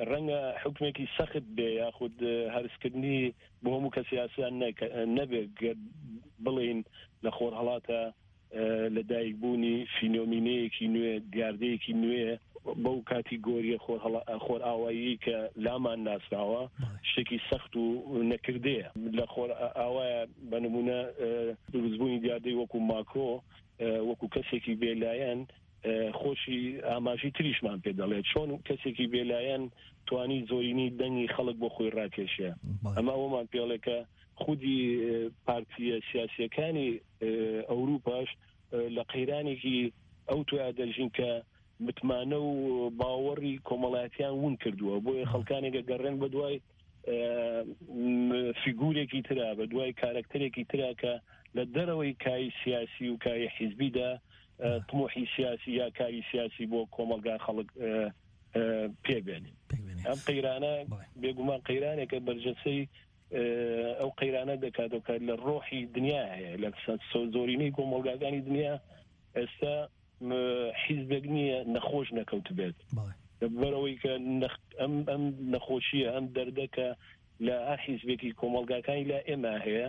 ڕەنگە حکمێکی سەخت بێ، یاخود، ئە، هەرسکردنی بۆ هەموو کەسی ئاسان نەکە-، نەبێ گەر بڵێن لە خۆرهەڵاتە، ئە، لە دایکبوونی فینۆمینەیەکی نوێ، دیاردەیەکی نوێ بەو کاتیگۆریە خۆرهەڵا-، خۆرئاوایی کە لامان ناسراوە، شتێکی سەخت و نەکردەیە. لە خۆرئاوایە بە نمونە، ئە، دروستبوونی دیاردەی وەکو ماکرۆ، ئە، وەکو کەسێکی بێلایەن، ئە، خۆشی ئاماژی تریشمان پێ دەڵێت. چۆن کەسێکی بێلایەن توانی زۆرینەی دەنگی خەڵک بۆ خۆی ڕاکێشێ؟ ئەمە ئەوەمان پێڵێ کە خودی، ئە، پارتیە سیاسیەکانی، ئە، ئەوروپاش، ئە، لە قەیرانێکی ئەو تویا دەژین کە متمانە و باوەڕی کۆمەڵایەتیان ون کردووە. بۆیە خەڵکانێک ئەگەڕێن بە دوای، ئە، م-، فیگورێکی ترا، بە دوای کارەکتەرێکی ترا کە لە دەرەوەی کای سیاسی و کای حیزبیدا، ئە، تموحی سیاسی یا کاری سیاسی بۆ کۆمەلگا خەڵک، ئە، ئە، پێ بێنێ. ئەم قەیرانە بێگومان قەیرانێکە بەرجەستەی، ئە، ئەو قەیرانە دەکاتەوە کە لە ڕۆحی دنیا هەیە، لە سە-، سۆ-، زۆرینەی کۆمەلگاکانی دنیا ئێستا، م-، حیزبێک نییە نەخۆش نەکەوت بێت. لەبەرەوەی کە نەخ-، ئەم، ئەم نەخۆشیە، ئەم دەردە کە لە هەر حیزبێکی کۆمەلگاکانی لا ئێمە هەیە،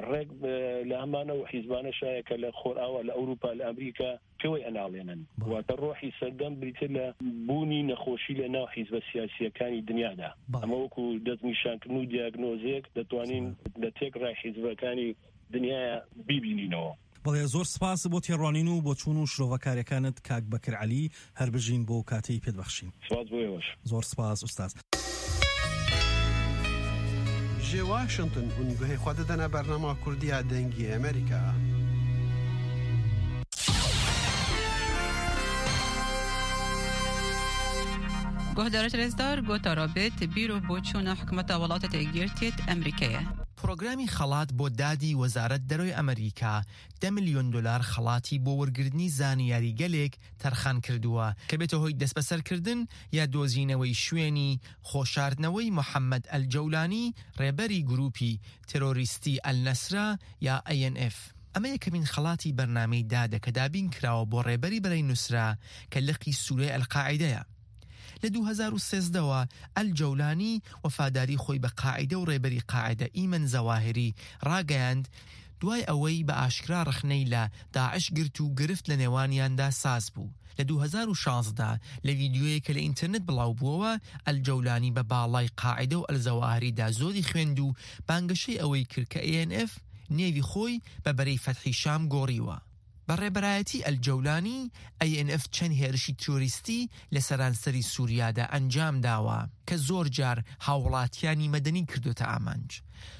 ڕێک، ئە، لە هەمانە و حیزبانە شایە کە لە خۆرئاوا، لە ئەوروپا، لە ئەمریکا پێوەی ئەناڵێنن. واتە ڕۆحی سەردەم بریتە لە بوونی نەخۆشی لە ناو حیزبە سیاسیەکانی دنیادا. ئەمە وەکو دەستنیشانکردن و دیاگنۆزێک دەتوانین لە تێک ڕای حیزبەکانی دنیاە بیبینینەوە. بەڵێ، زۆر سپاس بۆ تێڕوانین و بۆ چوون و شرۆڤەکاریەکانت، کاک بەکر عەلی. هەر بژین بۆ کاتەی پێتبەخشین. سپاس بۆ ئێوەش. زۆر سپاس، ئوستاز. Ji Washington hûn guhê xwe didine bernama Kurdiya Dengê Amerîka. Guhdarêt rêzdar, gotara bêt bîr û boçûna hikûmeta Welatêt Êkgirtiyêt Emerîkeyê. پرۆگرامی خەڵات بۆ دادی وەزارەت دەرەوەی ئەمریکا دە ملیۆن دۆلار خەڵاتی بۆ وەرگرتنی زانیاریگەلێک تەرخان کردووە کە بێتە هۆی دەستبەسەرکردن یا دۆزینەوەی شوێنی خۆشاردنەوەی محەممەد ئەلجەولانی، ڕێبەری گروپی تێرۆریستی ئەلنەسرا یا ئەی ئێن ئێف. ئەمە یەکەمین خەڵاتی بەرنامەی دادە کە دابین کراوە بۆ ڕێبەری بەرەی نوسرا کە لقی سوورەی ئەلقاعیدەیە. لە دوو هەزار و سێزدەوە ئەلجەولانی وەفاداری خۆی بە قاعیدە و ڕێبەری قاعیدە ئیمەن زەواهری ڕاگەیاند، دوای ئەوەی بە ئاشکرا ڕەخنەی لە داعش گرت و گرفت لە نێوانیاندا ساز بوو. لە دوو هەزار و شازدە لە ڤیدیۆیەکە لە ئینتەرنێت بڵاو بووەوە، ئەلجەولانی بە باڵای قاعیدە و ئەلزەواهریدا زۆری خوێند و بانگەشەی ئەوەی کرد کە ئەی ئێن ئێف نێوی خۆی بە بەرەی فەتحی شام گۆڕیوە. بە ڕێبەرایەتی ئەلجەولانی، ئەی ئێن ئێف چەند هێرشی ترۆریستی لە سەرانسەری سووریادا ئەنجام داوە کە زۆر جار هاوڵاتیانی مەدەنی کردوتە ئامانج.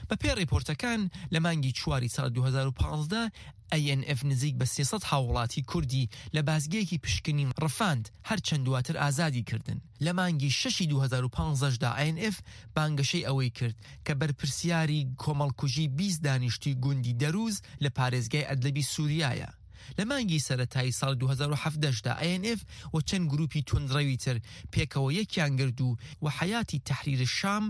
بە پێی ڕیپۆرتەکان، لە مانگی چواری ساڵ دوو هەزار و پازدە، ئەی ئێن ئێف نزیک بە سێ سەد هاوڵاتی کوردی لە بازگەیەکی پشکنین ڕفاند، هەرچەند دواتر ئازادی کردن. لە مانگی شەشی دوو هەزار و پازدەشدا ئەی ئێن ئێف بانگەشەی ئەوەی کرد کە بەرپرسیاری کۆمەڵکوژی بیست دانیشتوی گوندی دەروز لە پارێزگای ئەدلەبی سووریایە. لە مانگی سەرەتایی ساڵ دوو هەزار و حەڤدەشدا ئەی ئێن ئێف و چەند گروپی توندڕەوی تر پێکەوە یەکیان گرد و وە حەیاتی تەحریر شام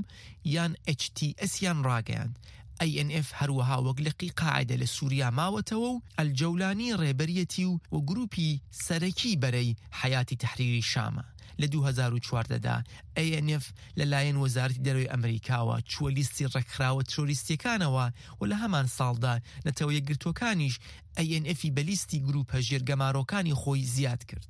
یان ئێچ تی ئێسیان ڕاگەیاند. ئەی ئێن ئێف هەروەها وەک لقی قاعدە لە سووریا ماوەتەوە و ئەلجەولانی ڕێبەریەتی و وە گروپی سەرەکی بەرەی حەیاتی تەحریری شامە. لە دوو هەزار و چواردەدا ئەی ئێن ئێف لەلایەن وەزارەتی دەرەوەی ئەمریکاوە چووە لیستی ڕێکخراوە ترۆریستیەکانەوە و لە هەمان ساڵدا نەتەوە یەکگرتووەکانیش ئەی ئێن ئێفی بە لیستی گروپە ژێرگەمارۆکانی خۆی زیاد کرد.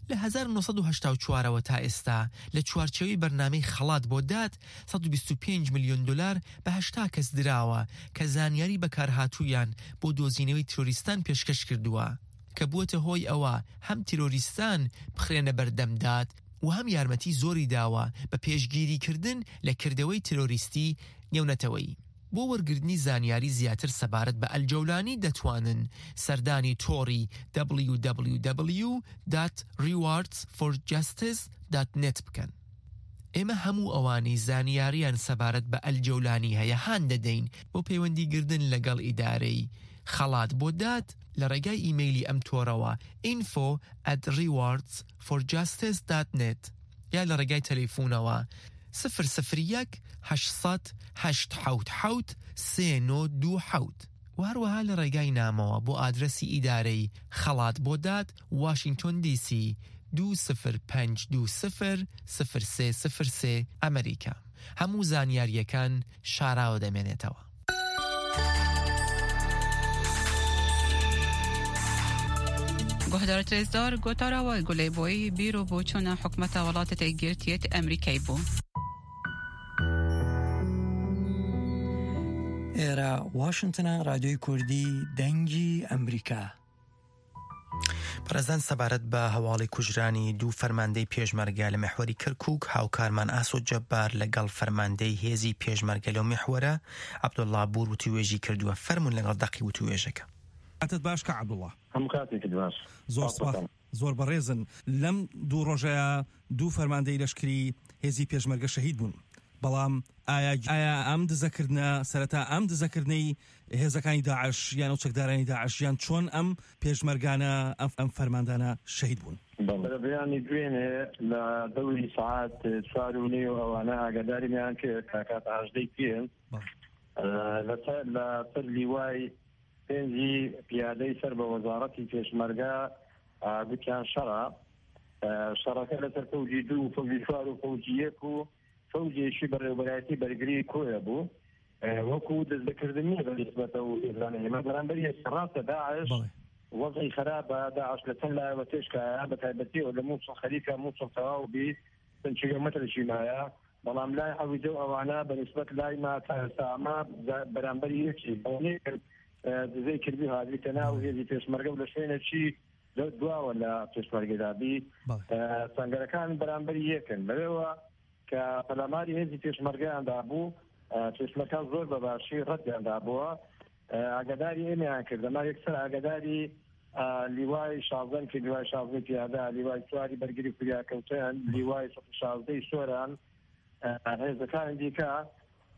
لە هەزار و نۆ سەد و هەشتا و چوارەوە تا ئێستا لە چوارچێوەی بەرنامەی خەڵات بۆ داد، سەد و بیست و پێنج ملیۆن دۆلار بە هەشتا کەس دراوە کە زانیاری بەکارهاتوویان بۆ دۆزینەوەی ترۆریستان پێشکەش کردووە کە بووەتە هۆی ئەوە هەم ترۆریستان بخرێنە بەردەم داد و هەم یارمەتی زۆری داوە بە پێشگیریکردن لە کردەوەی ترۆریستی نێونەتەوەیی. بۆ وەرگرتنی زانیاری زیاتر سەبارەت بە ئەلجەولانی دەتوانن سەردانی تۆڕی دبلیو دبلیو دبلیو دات ریواردز فۆر جەستیس دات نێت بکەن. ئێمە هەموو ئەوانەی زانیاریان سەبارەت بە ئەلجەولانی هەیە هان دەدەین بۆ پەیوەندیگردن لەگەڵ ئیدارەی خەڵات بۆ داد لە ڕێگای ئیمەیلی ئەم تۆڕەوە info at rewards for justice dot net یا لە ڕێگای تەلەفونەوە سفر سفر یەک، هەشت سەد، هەشت حەوت حەوت، سێ نۆ دوو حەوت و هەروەها لە ڕێگای نامەوە بۆ ئادرەسی ئیدارەی خەڵات بۆ داد، واشنگتۆن دی سی، دوو سفر پەنج دوو سفر، سفر سێ سفر سێ، ئەمریکا. هەموو زانیاریەکان شاراوە دەمێنێتەوە. Guhdarêt rêzdar, gotara we Gulê Boyî bîr û boçûna hikûmeta Welatêt Êkgirtiyêt Emerîkayê bû. ئێرە واشنتنە، ڕادیۆی کوردی، دەنگی ئەمریکا. بەڕێزان، سەبارەت بە هەواڵی کوژرانی دوو فەرماندەی پێشمەرگە لە مەحوەری کەرکووک، هاوکارمان ئاسۆ جەبار لەگەڵ فەرماندەی هێزی پێشمەرگە لەو مەحوەرە، عەبدوڵڵا بوور، وتووێژی کردووە. فەرموون لەگەڵ دەقی وتووێژەکە. کاتت باش کە عەبدوڵڵا. هەموو کاتێکت باش. زۆر سپاس. زۆر بەڕێزن. لەم دوو ڕۆژەیە دوو فەرماندەی لەشکری هێزی پێشمەرگە شەهید بوون. بەڵام ئایا، ئایا ئەم دزەکردنە، سەرەتا ئەم دزەکردنەی هێزەکانی داعش یان ئەو چەکدارانی داعش، یان چۆن ئەم پێشمەرگانە، ئەم، ئەم فەرماندانە شەهید بوون؟ بەڵێ. بەرەبەیانی دوێنێ لە دەوری سەعات چوار و نیو ئەوانە ئاگاداریان کرد کە کاتە هەژدەی پێ بەڵێ. ئە، لەسەر، لە سەر لیوای پێنجی پیادەی سەر بە وەزارەتی پێشمەرگە، ئە، گوتیان شەڕە. ئە، شەڕەکە لەسەر فەوجی دوو و فەوجی چوار و فەوجی یەک و فەوجێکی بەڕێوەبەرایەتی بەرگری کۆیە بوو. ئە، وەکو دەستبەکردن نییە بە نسبەتە و ئێرانە. ئێمە بەرامبەر یەک ڕاستە داعش بەڵێ. وەزعی خراپە، داعش لە چەند لایەوە تێشکایە، بە تایبەتی ئەو لە موسڵ خەریکە موسڵ تەواو بی، چەند کیلۆمەترێکی مایە. بەڵام لای عەویدە و ئەوانە بە نسبەت لای ما تا ئێستا ئەمە بەرامبەری یەکی. بەڵێ، ئە، دزەی کردی هاویتە ناو هێزی پێشمەرگە و لە شوێنێکی زۆر دواوە لە پێشمەرگەدا بی. بەڵێ. ئە، سەنگەرەکان بەرامبەری یەکن. لەوێوە کە پەلاماری هێزی پێشمەرگەیاندا بوو، ئە، پێشمەرگە زۆر بە باشی ڕەتیاندا بووە. ئە، ئاگاداری ئێمەیان کرد. ئەمە یەکسەر ئاگاداری، ئە، لیوای شازدە، کە لیوای شازدە پیادە، لیوای چواری بەرگری فریاکەوتن، لیوای سەد و شازدەی سۆران، ئە، هێزەکانی دیکە،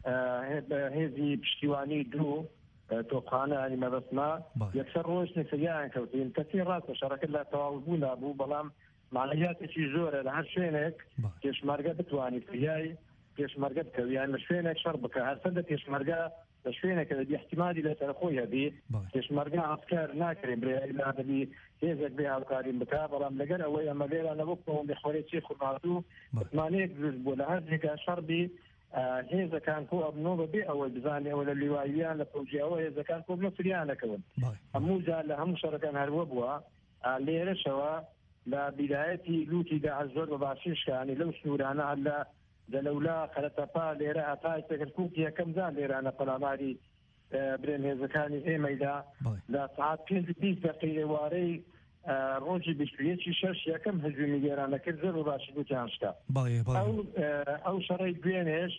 ئە، هێ-، بە هێزی پشتیوانی دوو، ئە، تۆپخانە، یعنی مەبەستمە، بەڵێ. یەکسەر ڕۆژ نفریان کەوتین. کەسی ڕاستە شەڕەکە لە تەواو بوونا بوو، بەڵام معنویاتێکی زۆرە لە هەر شوێنێک بەڵێ. پێشمەرگە بتوانی فریای پێشمەرگە بکەوی، یان لە شوێنێک شەڕ بکە، هەرچەندە پێشمەرگە لە شوێنێکە دەبی احتیمالی لەسەر خۆی هەبی. بەڵێ. پێشمەرگە عەسکەر ناکرێ برێ، ئەولا دەبی هێزێک بێ هاوکاریم بکە، بەڵام لەگەر ئەوەی ئەمە لێرە نەبوو، بەڵێ. متمانەیەک دروست بوو لە هەر جێگا شەڕ بی، ئە، هێزەکان کۆ ئەبنەوە بەبێ ئەوەی بزانێ ئەوە لە لیواییان لە پەوجیاوە هێزەکان کۆ بنە فریانەکەون. بەڵێ. هەموو جار لە هەموو شەڕەکان هەروە بووە. ئە، لێرەشەوە لە بیدایەتی لووتی داعش زۆر بە باشی شکانی لەو سنوورانە، هەر لە جەلەولا، قەرەتەپا، لێرە هەتا ئێستا کەرکووک یەکەم جار لێرانە پەلاماری، ئە، برێن هێزەکانی ئێمەیدا. بەڵێ. لە سەعات پێنج و بیست دەقی ئێوارەی، ئە، ڕۆژی بیست و یەکی شەش یەکەم هەجومی لێرانە کرد، زۆر بە باشی گوتیان شکا. بەڵێ، بەڵێ. ئەو، ئە، ئەو شەڕەی دوێنێش،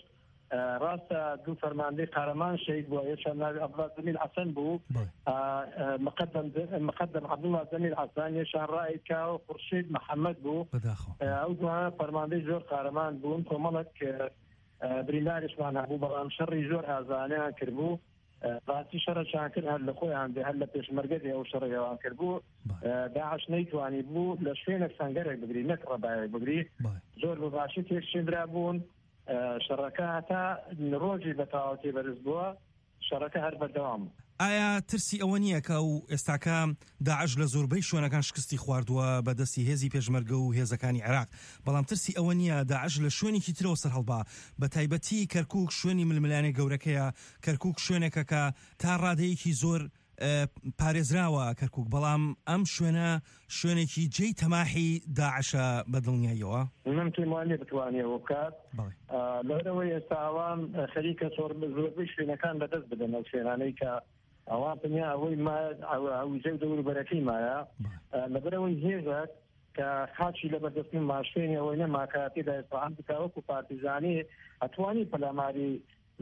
ئە، ڕاستە دوو فەرماندەی قارەمان شەهید بووە، یەکیان ناوی عەبدوڵا زەمیل حەسەن بوو. بەڵێ. ئە، ئە، مقەدەم، مقەدەم عەبدوڵا زەمیل حەسەن، یەکیان ڕائید کاو خورشید محەممەد بوو. بەداخەوە. ئە، ئەو دوانە فەرماندەی زۆر قارەمان بوون، کۆمەڵێک، ئە، ئە، برینداریشمان هەبوو، بەڵام شەڕی زۆر ئازانیان کردبوو. ئە، ڕاستی شەڕەکیان کرد، هەر لە خۆیان بێ، هەر لە پێشمەرگە بێ ئەو شەڕی ئەوان کردبوو. بەڵێ. ئە، داعش نەیتوانی بوو لە شوێنێک سەنگەرێک بگری، نەک ڕەبایەک بگری. بەڵێ. زۆر بە باشی تێکشین درابوون. ئە، شەڕەکە هەتا ڕۆژی بە تەواوەتی بەرز بووە، شەڕەکە هەر بەردەوام بوو. ئایا ترسی ئەوە نییە کە ئەو ئێستاکە داعش لە زۆربەی شوێنەکان شکستی خواردووە بە دەستی هێزی پێشمەرگە و هێزەکانی عێراق، بەڵام ترسی ئەوە نییە داعش لە شوێنێکی ترەوە سەرهەڵبا، بە تایبەتی کەرکووک شوێنی ململانێ گەورەکەیە، کەرکووک شوێنێکە کە تا ڕادەیەکی زۆر، ئە، پارێزراوە کەرکووک، بەڵام ئەم شوێنە شوێنێکی جێی تەماحی داعشە بە دڵنیاییەوە؟ من پێم وانیە بتوانێ ئەوە بکات. بەڵێ. ئە، لەبەرەوەی ئێستا ئەوان، ئە، خەریکە زۆر، زۆربەی شوێنەکان لەدەست بدەن، ئەو شوێنانەی کە ئەوان پنیا ئەوەی ما، ئەو، ئەو جێ و دەور و بەرەکەی مایە. بەڵێ. ئە، لەبەرەوەی هێزەک کە خاچی لەبەردەست من ماشێنی ئەوەی نەما کە تێدا ئێستا هەم بکا وەکو پارتیزانی ئەتوانی پەلاماری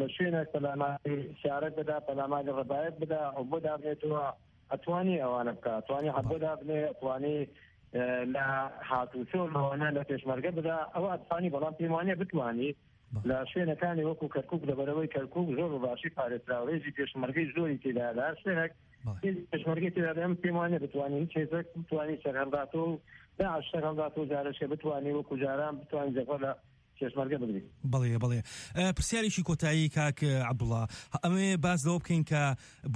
لە شوێنێک پەلاماری سیارەت بدا، پەلاماری ڕەبایەت بدا، ئەو بۆ دابنێتەوە، ئەتوانی ئەوانە بکە، ئەتوانی حەبۆ دابنێ، ئەتوانی، ئە، لە هاتوچۆ لەوانە لە پێشمەرگە بدا، ئەوە ئەتوانی، بەڵام پێم وانیە بتوانی بەڵێ. لە شوێنەکانی وەکو کەرکووک، لەبەرەوەی کەرکووک زۆر بە باشی پارێزراوە، هێزی پێشمەرگەی زۆری تێدا، لە هەر شوێنێک بەڵێ. هێزی پێشمەرگەی تێدا، ئەم پێم وانیە بتوانین هیچ هێزێک بتوانی سەرهەڵداتەوە و داعش سەرهەڵداتەوە، جارەشێ بتوانی وەکو جاران بتوانین جەبهە لە پێشمەرگە بگرین. بەڵێ، بەڵێ. ئە، پرسیارێکی کۆتایی کاک عەبدوڵا، ئەمەوێ باس لەوە بکەین کە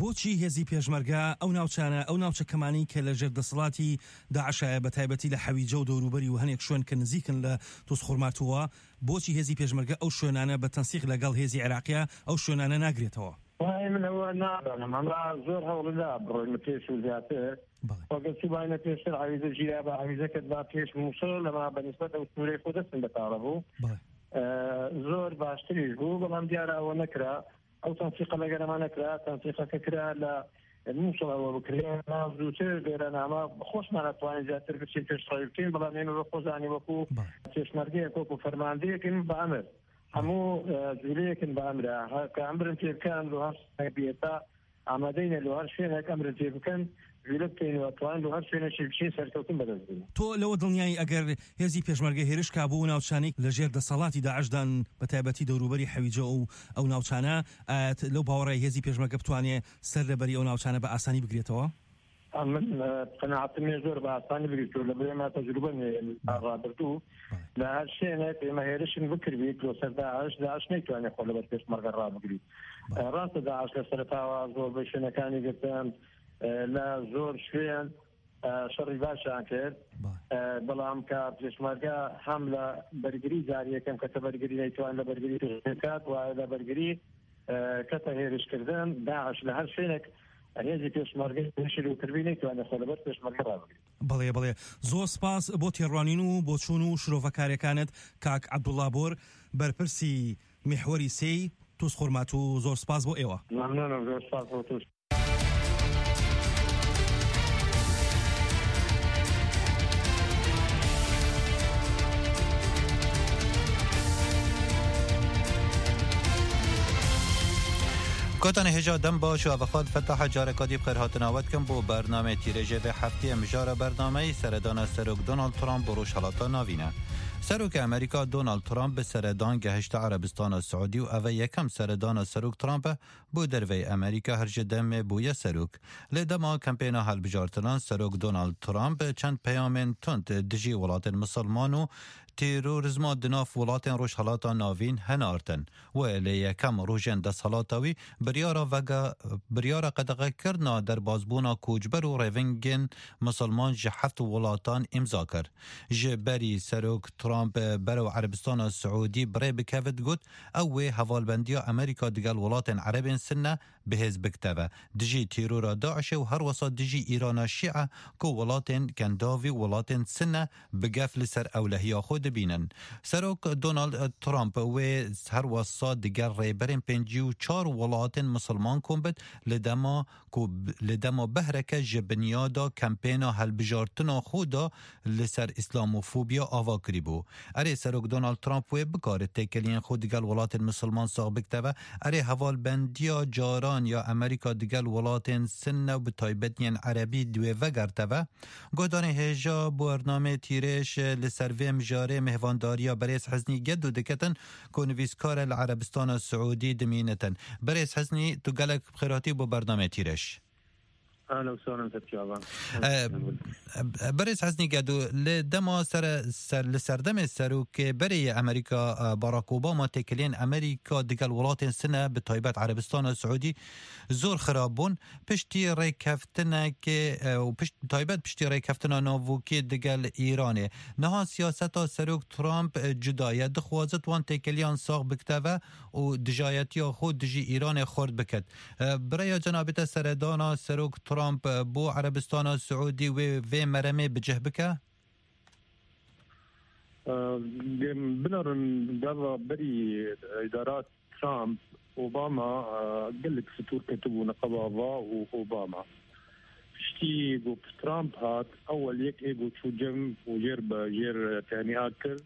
بۆچی هێزی پێشمەرگە ئەو ناوچانە، ئەو ناوچە کەمانەی کە لە ژێر دەسەڵاتی داعشایە، بە تایبەتی لە حەویجە و دەوروبەری و هەنێک شوێن کە نزیکن لە تۆز خۆرماتووە، بۆچی هێزی پێشمەرگە ئەو شوێنانە بە تەنسیق لەگەڵ هێزی عێراقیە ئەو شوێنانە ناگرێتەوە؟ وای من ئەوە نازانم، ئەمە زۆر هەوڵدا بڕۆین پێش و زیاتر. بەڵێ. وەگەر چوباینە پێشتر عەویزە ژیرا بە عەویزەکەت با پێش موسڵ، لەما بە نسبەت ئەو سنوورەی خۆ دەستم بە تاڵە بوو. بەڵێ. ئە، زۆر باشتریش بوو، بەڵام دیارە ئەوە نەکرا. ئەو تەنسیقە لەگەرەمانە کرا، تەنسیقەکە کرا لە موسڵ ئەوە بکرێ، ما زووتر لێرە نامە خۆشمان ئەتوانین زیاتر بچین پێشڕەوی بکەین، بەڵام ئێمە بە خۆزانی وەکو بەڵێ. پێشمەرگەیەک، وەکو فەرماندەیەکن بە ئەمر. هەموو، ئە، جوولەیەکن بە ئەمرە. هە، کە ئەمرن پێ بکەن، لۆ هەر شتێک بێ ئێستا ئامادەینە لۆ هەر شوێنێک ئەمرن پێ بکەن، جوولە بکەین و ئەتوانین لۆ هەر شوێنێکی بچین سەرکەوتن بەدەست بین. تۆ لەوە دڵنیایی ئەگەر هێزی پێشمەرگە هێرش کا بۆ ئەو ناوچانەی لە ژێر دەسەڵاتی داعشدان، بە تایبەتی دەوروبەری حەویجە و ئەو ناوچانە، ئایا لەو باوەڕای هێزی پێشمەرگە بتوانێ سەر لەبەری ئەو ناوچانە بە ئاسانی بگرێتەوە؟ من، ئە، قەناعەتم هەیە زۆر بە ئاسانی بگرێتەوە، لە بەرێ ما تەجروبە نێ لە ڕابردوو. بەڵێ. لە هەر شوێنێک ئێمە هێرشین بکردبێت لۆ سەر داعش، داعش نەیتوانێت خۆ لەبەر پێشمەرگە ڕابگریت. بەڵێ. ئە، ڕاستە داعش لە سەرەتاوە زۆربەی شوێنەکانی گرتن، ئە، لە زۆر شوێن، ئە، شەڕی باشیان کرد. بەڵێ. ئە، بەڵام کە پێشمەرگە هەم لە بەرگری جاری یەکەم کەتە بەرگری نەیتوان لە بەرگری پێشکات وایە لە بەرگری، ئە، کەتە هێرشکردن، داعش لە هەر شوێنێک هێزی پێشمەرگەی هێرشی لێ کردبی نەیتوانێت خۆ لەبەر پێشمەرگە ڕابگریت. بەڵێ، بەڵێ. زۆر سپاس بۆ تێڕوانین و بۆچوون و شرۆڤەکاریەکانت، کاک عەبدوڵا بۆر، بەرپرسی میحوەری سێی توز خورماتوو. زۆر سپاس بۆ ئێوە. مەمنونم، زۆر سپاس بۆ توش. Gotanê hêja dem baş û evexat Fetaha careka dî bi xêrhatina we dikim bo bernameyê tîrêjê vê heftiyê. Mijara bernameyî seredana Serok Donald Trump bo Rojhelata Navîn e. Serokê Amerîka Donald Trump bi seredan gehişte Erebistana Siûdî û ev e yekem seredana Serok Trump e bo derveyî Amerîka her ji demê bûye serok. Lê dema kampêna hilbijartinan Serok Donald Trump çend peyamên tund dijî welatên misilman û terorîzma di nav welatên Rojhelata Navîn hinartin. Wê lê yekem rojên desthilata wî biryara vega, biryara qedexekirina derbazbûna koçber û rêvingên misilman ji heft welatan îmza kir. Ji berî Serok Trump berew Erebistana Siûdî bi rê bikevit, got, ew wê hevalbendiya Amerîka digel welatên Erebên Sinne bi hêz bikiteve, dijî terora DAIŞê û herwesa dijî Îrana Şîe ku welatên Kendavî û welatên Sinne bi gef li ser ewlehiya xwe dibînin. Serok Donald Trump wê herwesa digel rêberên pêncî û çar welatên misilman kom bit, li dema ku b-, li dema behreke ji binyada kampêna hilbijartina xwe de li ser îslamofobiya ava kirîbû. Erê, Serok Donald Trump wê bikare têkeliyên xwe digel welatên misilman sax bikiteve. Erê, hevalbendiya caran ya Amerîka digel welatên Sinne û bi taybet yên Erebî di wê vegerteve. Guhdarên hêja bo bernameyê tîrêj li ser vê mijarê mêhvandariya berêz Heznî Gedo diketin ku nivîskar e li Erebistana Siûdî dimînitin. Berêz Heznî, tu gelek bi xêr hatî bo bernameyê tîrêj. Ehlen we sehlen Fetî Avan. E, Berêz Heznî Gedo, li dema sere-, ser-, li serdemê serokê berê yê Amerîka, e, Barack Obama têkiliyên Amerîka digel welatên Sine, bi taybet Erebistana Siûdî zor xirab bûn. Piştî rêkeftinekê, e, û pişt-, taybet piştî rêkeftina navokî digel Îranê. Niha siyaseta Serok Trump, e, cuda ye. Dixwazit wan têkiliyan sax bikiteve û dijayetiya xwe dijî Îranê xurt bikit. E, bi rêya cenabê te seredana Serok Trump, e, bo Erebistana Siûdî wê vê meremê bi cih bike? E, Binêrin gava berî îdara Trump, Obama, e, gelek stûr ketibû neqeba va û Obama. Piştî ku Trump hat, ewel yek ê ku çû cem û jêr be, jêr tehniya kir,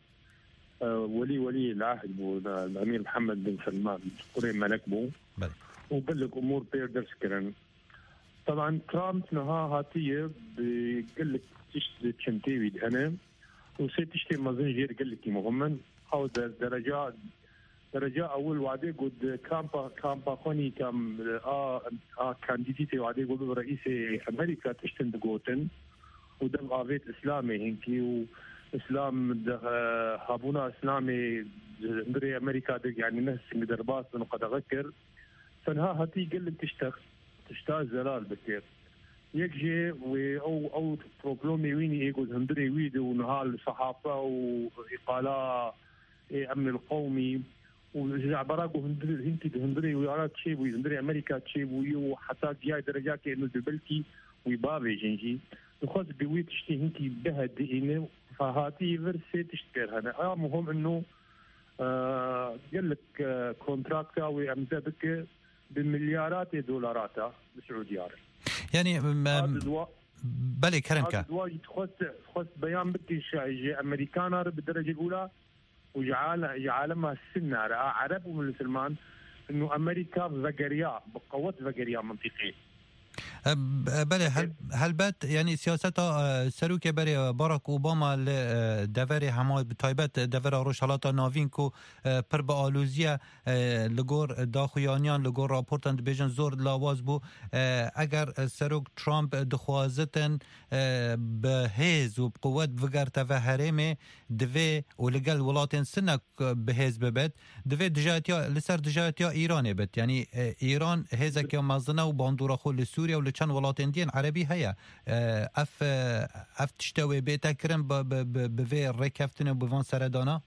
e, welî welî el-ehd bû, e, Emîr Mihemed bin Selman, kurê melek bû. Belê. Û gelek umûr pê ders kirin. Taban Trump niha hatiye bi gelek tişt di çentê wî de hene û sê tiştê mezin jê re gelekî muhim in. Ew de-, dereca, dereca ewil wadê got di kampa, kampa xwe nî kam a, a kandîdîtê wadê got bi reîsê Amerîka tiştin digotin û dev avêt Îslamê hinkî û Îslam de, e, habûna Îslamê di hundirê Amerîka de, yanî ne sing derbas bin û qedexe kir. Tenha hetî gelek tiştek, tişta zelal bike. Yek jê wê ew, ew problemê wî nî ê ku di hundirê wî de û niha li sehafe û îqala ê emnil qewmî û ji ebera ku hundir-, hinkî di hundirê wî ara çêbûyî, hundirê Amerîka çêbûyî û heta giyayê derecakê êno dê belkî wî bavêjin jî. Dixwest bi wî tiştî hinkî bihe diîne, hatî vir sê tişt pêr hene. A muhim ino, e, gelek, e, kontrakta wê emze bike bi milyaratê dolarata bi Siûdiya re. Yani, em, A em, di dua-, belê, kerem a ke. Di dua jî dixwest, dixwest beyan bike şa-, ji Amerîkana re bi derecê ula û ji ale-, ji alema Sinna re, a Ereb û Misilman, ino Amerîka vegeriya, bi qewet vegeriya mintîqê. E, b-, e, belê, hel-, helbet, yani siyaseta, e, serokê berê, e, Barack Obama li, e, deverê hema bi taybet, e, devera Rojhelata Navîn ku, e, pir bi alozî ye, e, li gor daxuyaniyan, li gor raportan dibêjin zor lawaz bû. E, eger, e, Serok Trump dixwazitin, e, bi hêz û bi quwet bigerteve herêmê, divê û li gel welatên Sinek, e, bi hêz bibit, divê dijayetiya, li ser dijayetiya Îranê bit. Yanî, e, Îran hêzeke mezin e û bandora xwe li Sûriye û li çend welatên diyên Erebî heye. E, ev, e, ev tişte wê bête kirin bi, bi, bi, bi vê rêkeftinê û bi van seredana?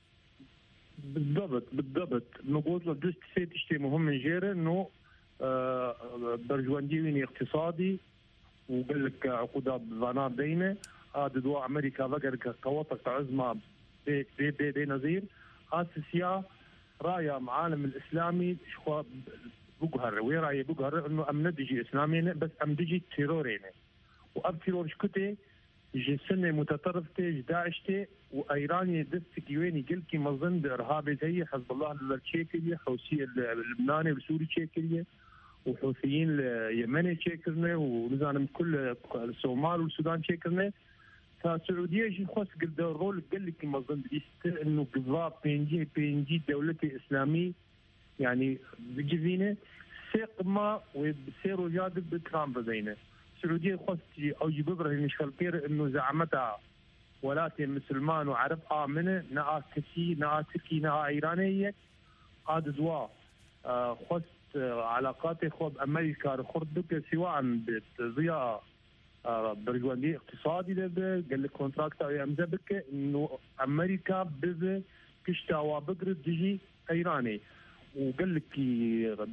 Bidabit, bidabit. Min got, du sê tiştê muhim in jê re, no, e, berjwendiyê wî nî îqtîsadî, û gelek, e, eqûda bi vana deyne, a di dua Amerîka vegerike qeweta ke ezma bê, bê, bê, bê nezîr, a sisiya raya alem îslamî ji xwe biguhere. Wê rayê biguhere, ino em ne dijî Îslamê ne, bes em dijî terorê ne. Û ev teror ji ku tê? Ji Sinê muteterif tê, ji DAIŞ tê û Îranê destekî wê nî gelkî mezin di Irhabê de ye, Hizbullah li vir çêkiriye, Hûsiyê li Libnanê û li Sûrî çêkiriye. û Hûsiyîn li Yemenê çêkirine û nizanim ku li, li Somal û li Sudan çêkirine. Ta Siûdiye jî xwest girde rol gelekî mezin bidîst, inu giva pêncî pêncî dewletê îslamî, yanî bicivîne, sê qima wê bi sê roja de bi Trump bibeyne. Siûdiye xwest jî ew jî bibirhîne ji xelkê re, inu zehmeta welatê misilman û ereb a min e, ne a Tirkî, ne a Tirkî, ne a Îranê yek. A didwa, e, xwest, e, elaqatê xwe bi Amerîka re xurt bike, sîwan bi riya, e, berjwendiyê îqtisadî de be, gelek kontrakta wê emze bike, ino Amerîka bibe pişta wa bigire dijî Îranê û gelekî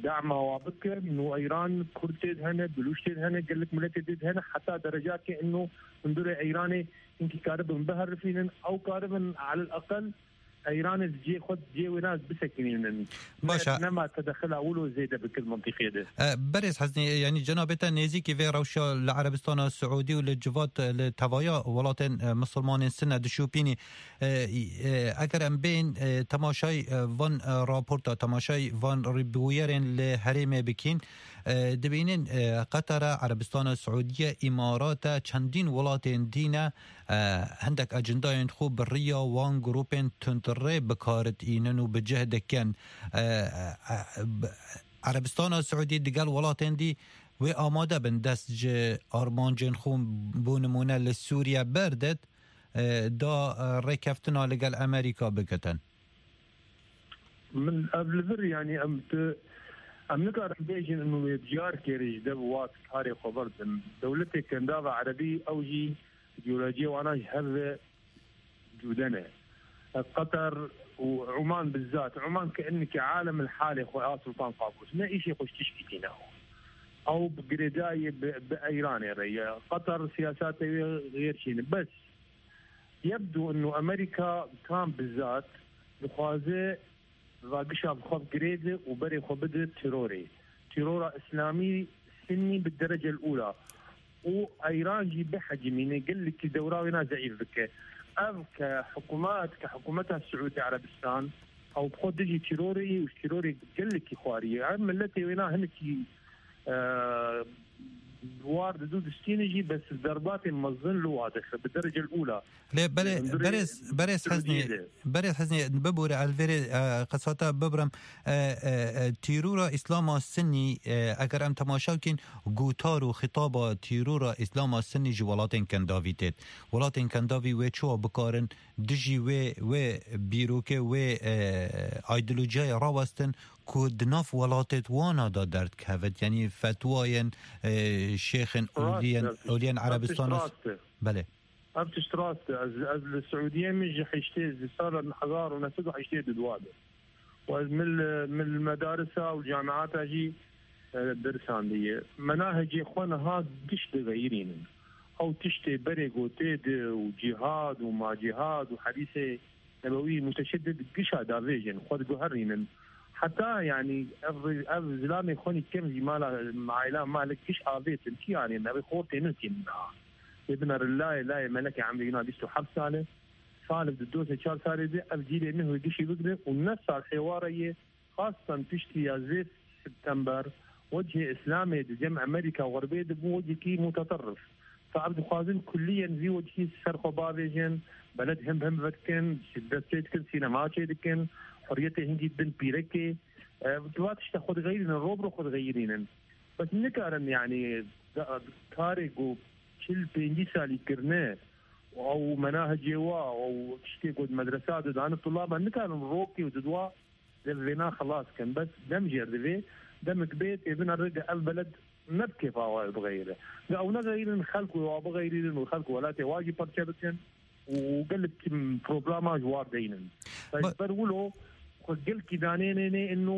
dema wa bike, ino Îran Kurd tê de hene, Bilûç tê de hene, gelek miletê tê de hene, heta derecakê ino hundirê Îranê hinkî karibin biherifînin, ew karibin elel eqel Îranê di cihê xwe, di cihê wêna bisekinînin. Baş e. Nema tedexila wilo zêde bikir mintîqê de. E, berêz Heznî, yanî cenabê te nêzîkî vê rewşa li Erebistana Siûdî û li civat, li tevaya welatên, e, misilmanên Sinne dişopînî. E, e, eger em bên, e, temaşay, e, van, e, raporta, temaşay van rîbûyerên li herêmê bikîn, e, dibînin, e, Qetara, Erebistana Siûdiye, Îmarata, çendîn welatên dîne, e, hindek ecindayên xwe bi riya wan grûpên tundrê bi kar tînin û bi cih dikin. E, e, e, b-, Erebistana Siûdî digel welatên dî wê amade bin dest ji armancên xwe, bo nimûne li Sûriye berdit, e, da, e, rêkeftina li gel Amerîka bigitin. Min ev li vir, yanî em tu, em nikarin bêjin û wê diyar kêrî ji dev wat karê xwe berdin. Dewletê Kendava Erebî ew jî îdeolojiyê wana ji hev ve cude ne. Qeter û Oman bizzat, Oman ke inneke alem li halê xwe a Sultan Qabûs. Ne îşê xwe ji tişkî tîne. Ew bi girêdayî bi, bi Eyranê re ye. Qeter siyasete wê xêr çîne. Bes yebdû inu Amerîka Trump bizzat dixwaze va gişa bi xwe bigirêde û berê xwe bide terorê. Terora îslamî Sinnî bi derecel ûla. Û Eyran jî bihecimîne, gelekî dewra wêna zeîf bike. Ev ke hikûmet, ke hikûmeta Siûdî Erebistan, ew bi xwe dijî terorê ye û ji terorê gelekî xwarî ye. Ev miletê wêna hinekî, e, war didu distîne jî, bes derbatê mezin li wa dixe, bi derecel ûla. Lê belê, Hundirê berêz, berêz Siûdiyê Heznî, de. Berêz Heznî, bibûre, ez li vêrê, e, qisata bibirim. E, e, e, tîrora Îslama Sinnî, e, eger em temaşa bikîn, gotar û xitaba tîrora Îslama Sinnî ji welatên Kendavî têt. Welatên Kendavî wê çawa bikarin dijî wê, wê bîrokê, wê, e, aydolojiyayê rawestin ku di nav welatêt wana de derdikevit, yanî fetwayên, e, şêxên Rast oliyên, e, oliyên Erebistana. Rast e. Belê. Ev tişt rast e. Ez, ez li Siûdiyê min ji heştê, ji sala hezar û neh sed û heştê û du de. Û ez min li, min li medarisa û camiata jî, e, dersandiye. Menahecê xwe niha giş digeyirînin. Ew tiştê berê gotê di û cîhad û macîhad û hedîsê nebewî muteşeddid gişa davêjin, xwe diguherînin. Heta, yanî, ev, ev zilamê xwe nî kem jî mala, aîla malik giş avêtin. Çi yanî, ev xortê nirkînin niha. Lê binêrin layê, layê melekê emrê wîna bîst û heft sal e. Salek di dozê çar salê de ev cîlê neh wê gişî bigre û ne sal êware yê, xastan piştî yazdeh September, wecihê Îslamê di cem Amerîka û Xerbê de bû wecihekî muteterrif. Fa ev dixwazin kullîyen vî wecihî ser xwe bavêjin, beled him him vedikin, şiddet çê dikin, sînema çê dikin, hurriyetê hingî didin pîrekê. E, va tişta xwe digeyirînin, ro bi ro xwe digeyirînin. Bes nikarin, yanî, da-, karê ku çil pêncî salî kirine, ew menahecê wa, ew tiştê ku di medresa de dane tulaban, nikarin rokê û didwa dev vêna xelas kin. Bes dem jêr divê, demek bê tê bina rêde ev beled ne bi kêfa wa bixeyire. Ga ew negeyrin, xelk wê wa bixeyirînin û xelk welatê wa jî parçe bikin û gelek problema ji war deynin. Ba- Ber wilo xwe gelkî danênê nê ino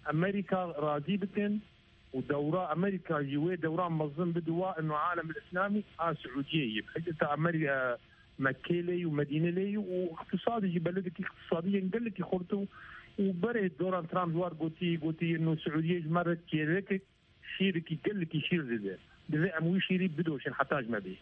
Amerîka razî bikin û dewra Amerîka jî wê dewra mezin bide wa ino alem îslamî a Siûdiyê yê. Heta Amerîka, Mekkê lê yî û Medîne lê yî û îqtisadî jî beledekî îqtisadî yên gelekî xurt û, û berê Donald Trump ji war gotî, gotî ino Siûdiyê ji me re kêlekek şîrekî gelekî şîr dide. Divê em wî şîrî bidoşin heta ji me bê.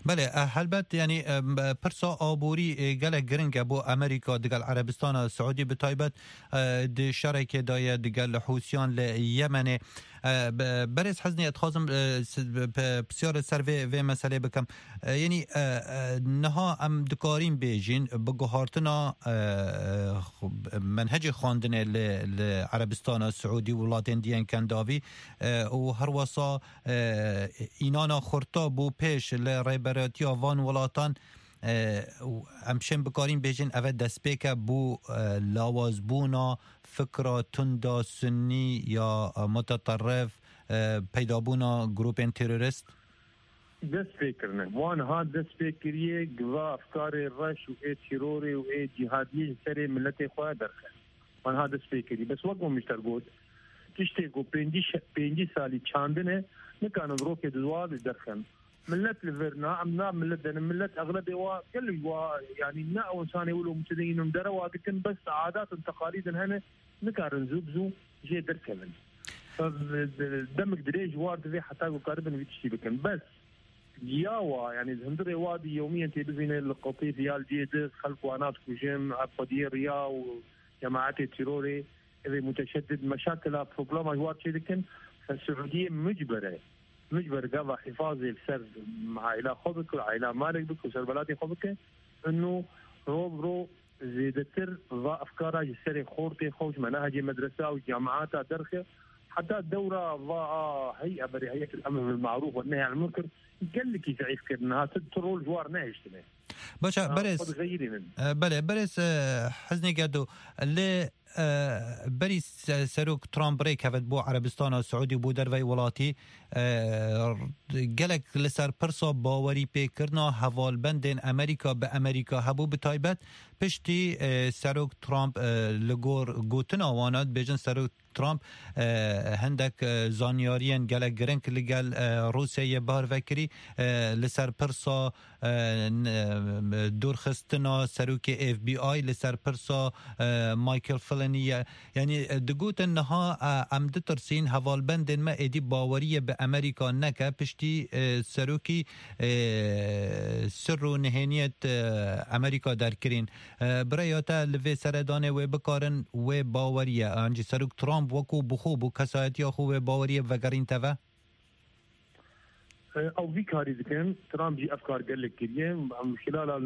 Belê, e, helbet, yanî, e, m-, e, pirsa aborî, e, gelek giring e bo Amerîka digel Erebistana Siûdî, bi taybet, e, di şerekê de ye digel Hûsiyan li Yemenê. E, be-, berêz Heznî, ez dixwazim, e, s-, be-, pe-, pisyar li ser vê, vê meselê bikim. E, yanî, e, e, niha em dikarîn bêjin, bi guhartina, e, xu-, menhecê xwendinê li, li Erebistana Siûdî û welatên diyên Kendavî, e, û herwesa e, înana xurta bû pêş li rêberatiya van welatan, e, û em şên bikarîn bêjin, ev e destpêke bû, e, lawazbûna fikra tunda sunnî ya, e, muteterif, e, peydabûna grûpên terorist? Dest pê kirine. Wan ha dest pê kiriye, giva efkarê reş û ê terorê û ê cîhadiyê ji serê miletê xwe derxe. Wan ha dest pê kirî. Bes wek min ji te got, tiştê ku pêncî şe-, pêncî salî çandine, nikanin rokê di wa de derxin. Millet li vir na, em na millet denin. Millet exlebê wa gelek wa, yanî ne ew insanê wilo mutedeyînin derewa dikin, bes adat û teqalîdin hene, nikarin zû bi zû jê derkevin. Fe-, de-, demek dirêj war divê heta ku karibin vî tiştî bikin. Bes ya wa, yanî di hundirê wa di yewmiyen tê bibîne li qetîf ya li cihê di xelk wana dikujin, ev xwediyê riya û cemaetê terorê, evê muteşeddid, meşakila, problema ji war çêdikin, fe Siûdiyê micber e. Micber gava hifazê li ser aîla xwe bike, aîla malek bike, ser welatê xwe bike, inu ro bi ro zêdetir va efkara ji serê xortê xwe, ji menahecê medresa û cemaeta derxe, heta dewra va a hey'e berê Heyetul Emr bil Marûf ve Nehy anil Munkar, gelekî zeîf kir. Niha tu, tu rol ji war nehiştine. Baş e, ha, berêz, xwe digeyirînin. E, belê, berêz, e, Heznî Gedo, lê, e, berî se-, Serok Trump rêkevit bo Erebistana Siûdî, bo derveyî welatî, e, gelek li ser pirsa bawerî pêkirina hevalbendên Amerîka bi Amerîka hebû, bi taybet piştî, e, Serok Trump, e, li gor gotina wana, dibêjin Serok Trump, e, hindek, e, zanyariyên gelek giring li gel, e, Rûsyayê bar vekirî, e, li ser pirsa, e, n-, e, dûrxistina serokê F B I, li ser pirsa, e, Michael Flynn ye. Yanî, e, digotin niha, e, em ditirsîn hevalbendên me êdî baweriyê bi Amerîka neke, piştî, e, serokî, e, sir û nihêniyet, e, Amerîka derkirîn. E, bi rêya te li vê seredanê wê bikarin wê baweriye, an jî Serok Trump wekû bi xwe, bo kesayetiya xwe wê baweriyê vegerîn teve? E, ew vî karî dikin. Trump jî ev kar gelek kiriye. Em xilala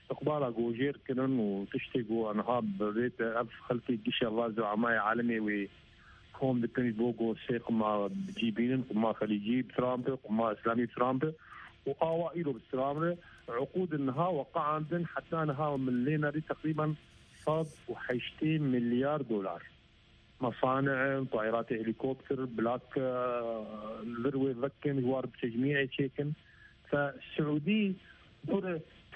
istiqbala ku jêr kirin û tiştê ku aniha bi vê te ev xelkê gişeva züamaya alemê wê kom dikin ji bo ku sê qima bi cî bînin, qima xelîcî bi Trump e, qima îslamî bi Trump e û awa îro bi Trump e. Uqûd niha weqeandin, heta niha min lê nerî teqrîben sed û heştê milyar dolar. Mesane in, tayîratê helîkopter, bilak, e, li vir wê vekin, ji war bi tecmîyê çêkin. Fe Siûdî dor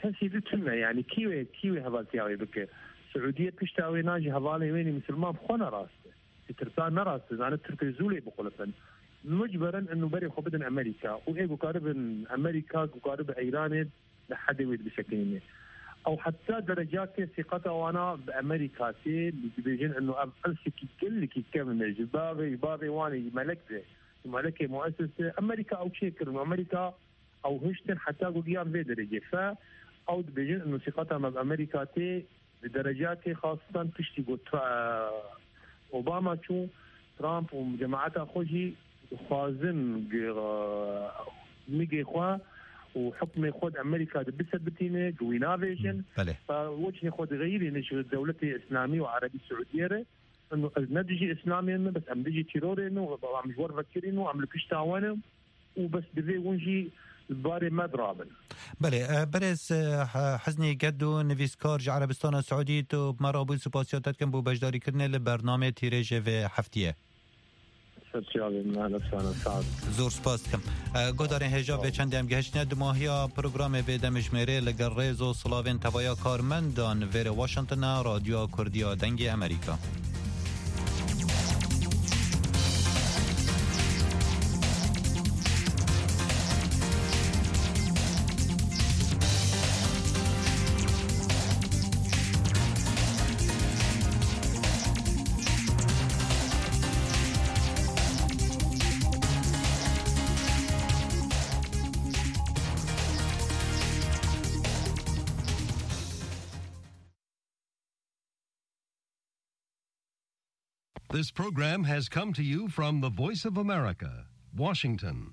kesî di tune, yanî kî wê, kî wê hevaltiya wê bike? Siûdiyê pişta wê na ji hevalên wê nî misilman bi xwe ne rast e. Ji tirkan ne rast e, zane tirkê zû lê bixulifin. Mucber in inu berê xwe bidin Amerîka û ê gukaribin Amerîka, gukaribin Îranê li hedê wê dibisekinîne. Ew heta derecakê sîqeta wana bi Amerîka tê, dibêjin inu ev elsekî gelekî kevn e. Ji bavê, ji bavê wan e, ji melek de, ji melekê muesis de. Amerîka ew çêkirin û Amerîka ew hiştin heta ku giyan vê derecê. Fe ew dibêjin inu sîqeta me bi Amerîka tê, di derecakê xastan piştî ku Tra-, Obama çû, Trump û cemaeta xwe jî dixwazin gi-, nigê xwe û hukmê xwe di Amerîka de bisebitîne, gi wî navêjin. Belê. Fa wecihê xwe digeyirîne ji dewletê Îslamî û Erebî Siûdiyê re. Ino ez ne dijî Îslamê me, bes em dijî terorê ne, em ji we re vekirîn û em li pişta we ne. Û bes divê hûn jî li barê me dirabin. Belê, e, berêz, e, He-, Heznî Gedo, nivîskar ji Erebistana Siûdî, tu bi me re bû, supasiya te dikim bo beşdarîkirinê li bernameyê Tîrêjê vê heftiyê. Ser çavê min, ehlen, sahlan, sağ ol. Zor spas dikim. E, guhdarên hêja, sağ ol, vê çendê em gihiştine dimahiya programê vê demjimêrê. Li gel rêz û silavên tevaya karmendan vêrê Washington a Radyoya Kurdiya Dengê Amerîka. This program has come to you from the Voice of America, Washington.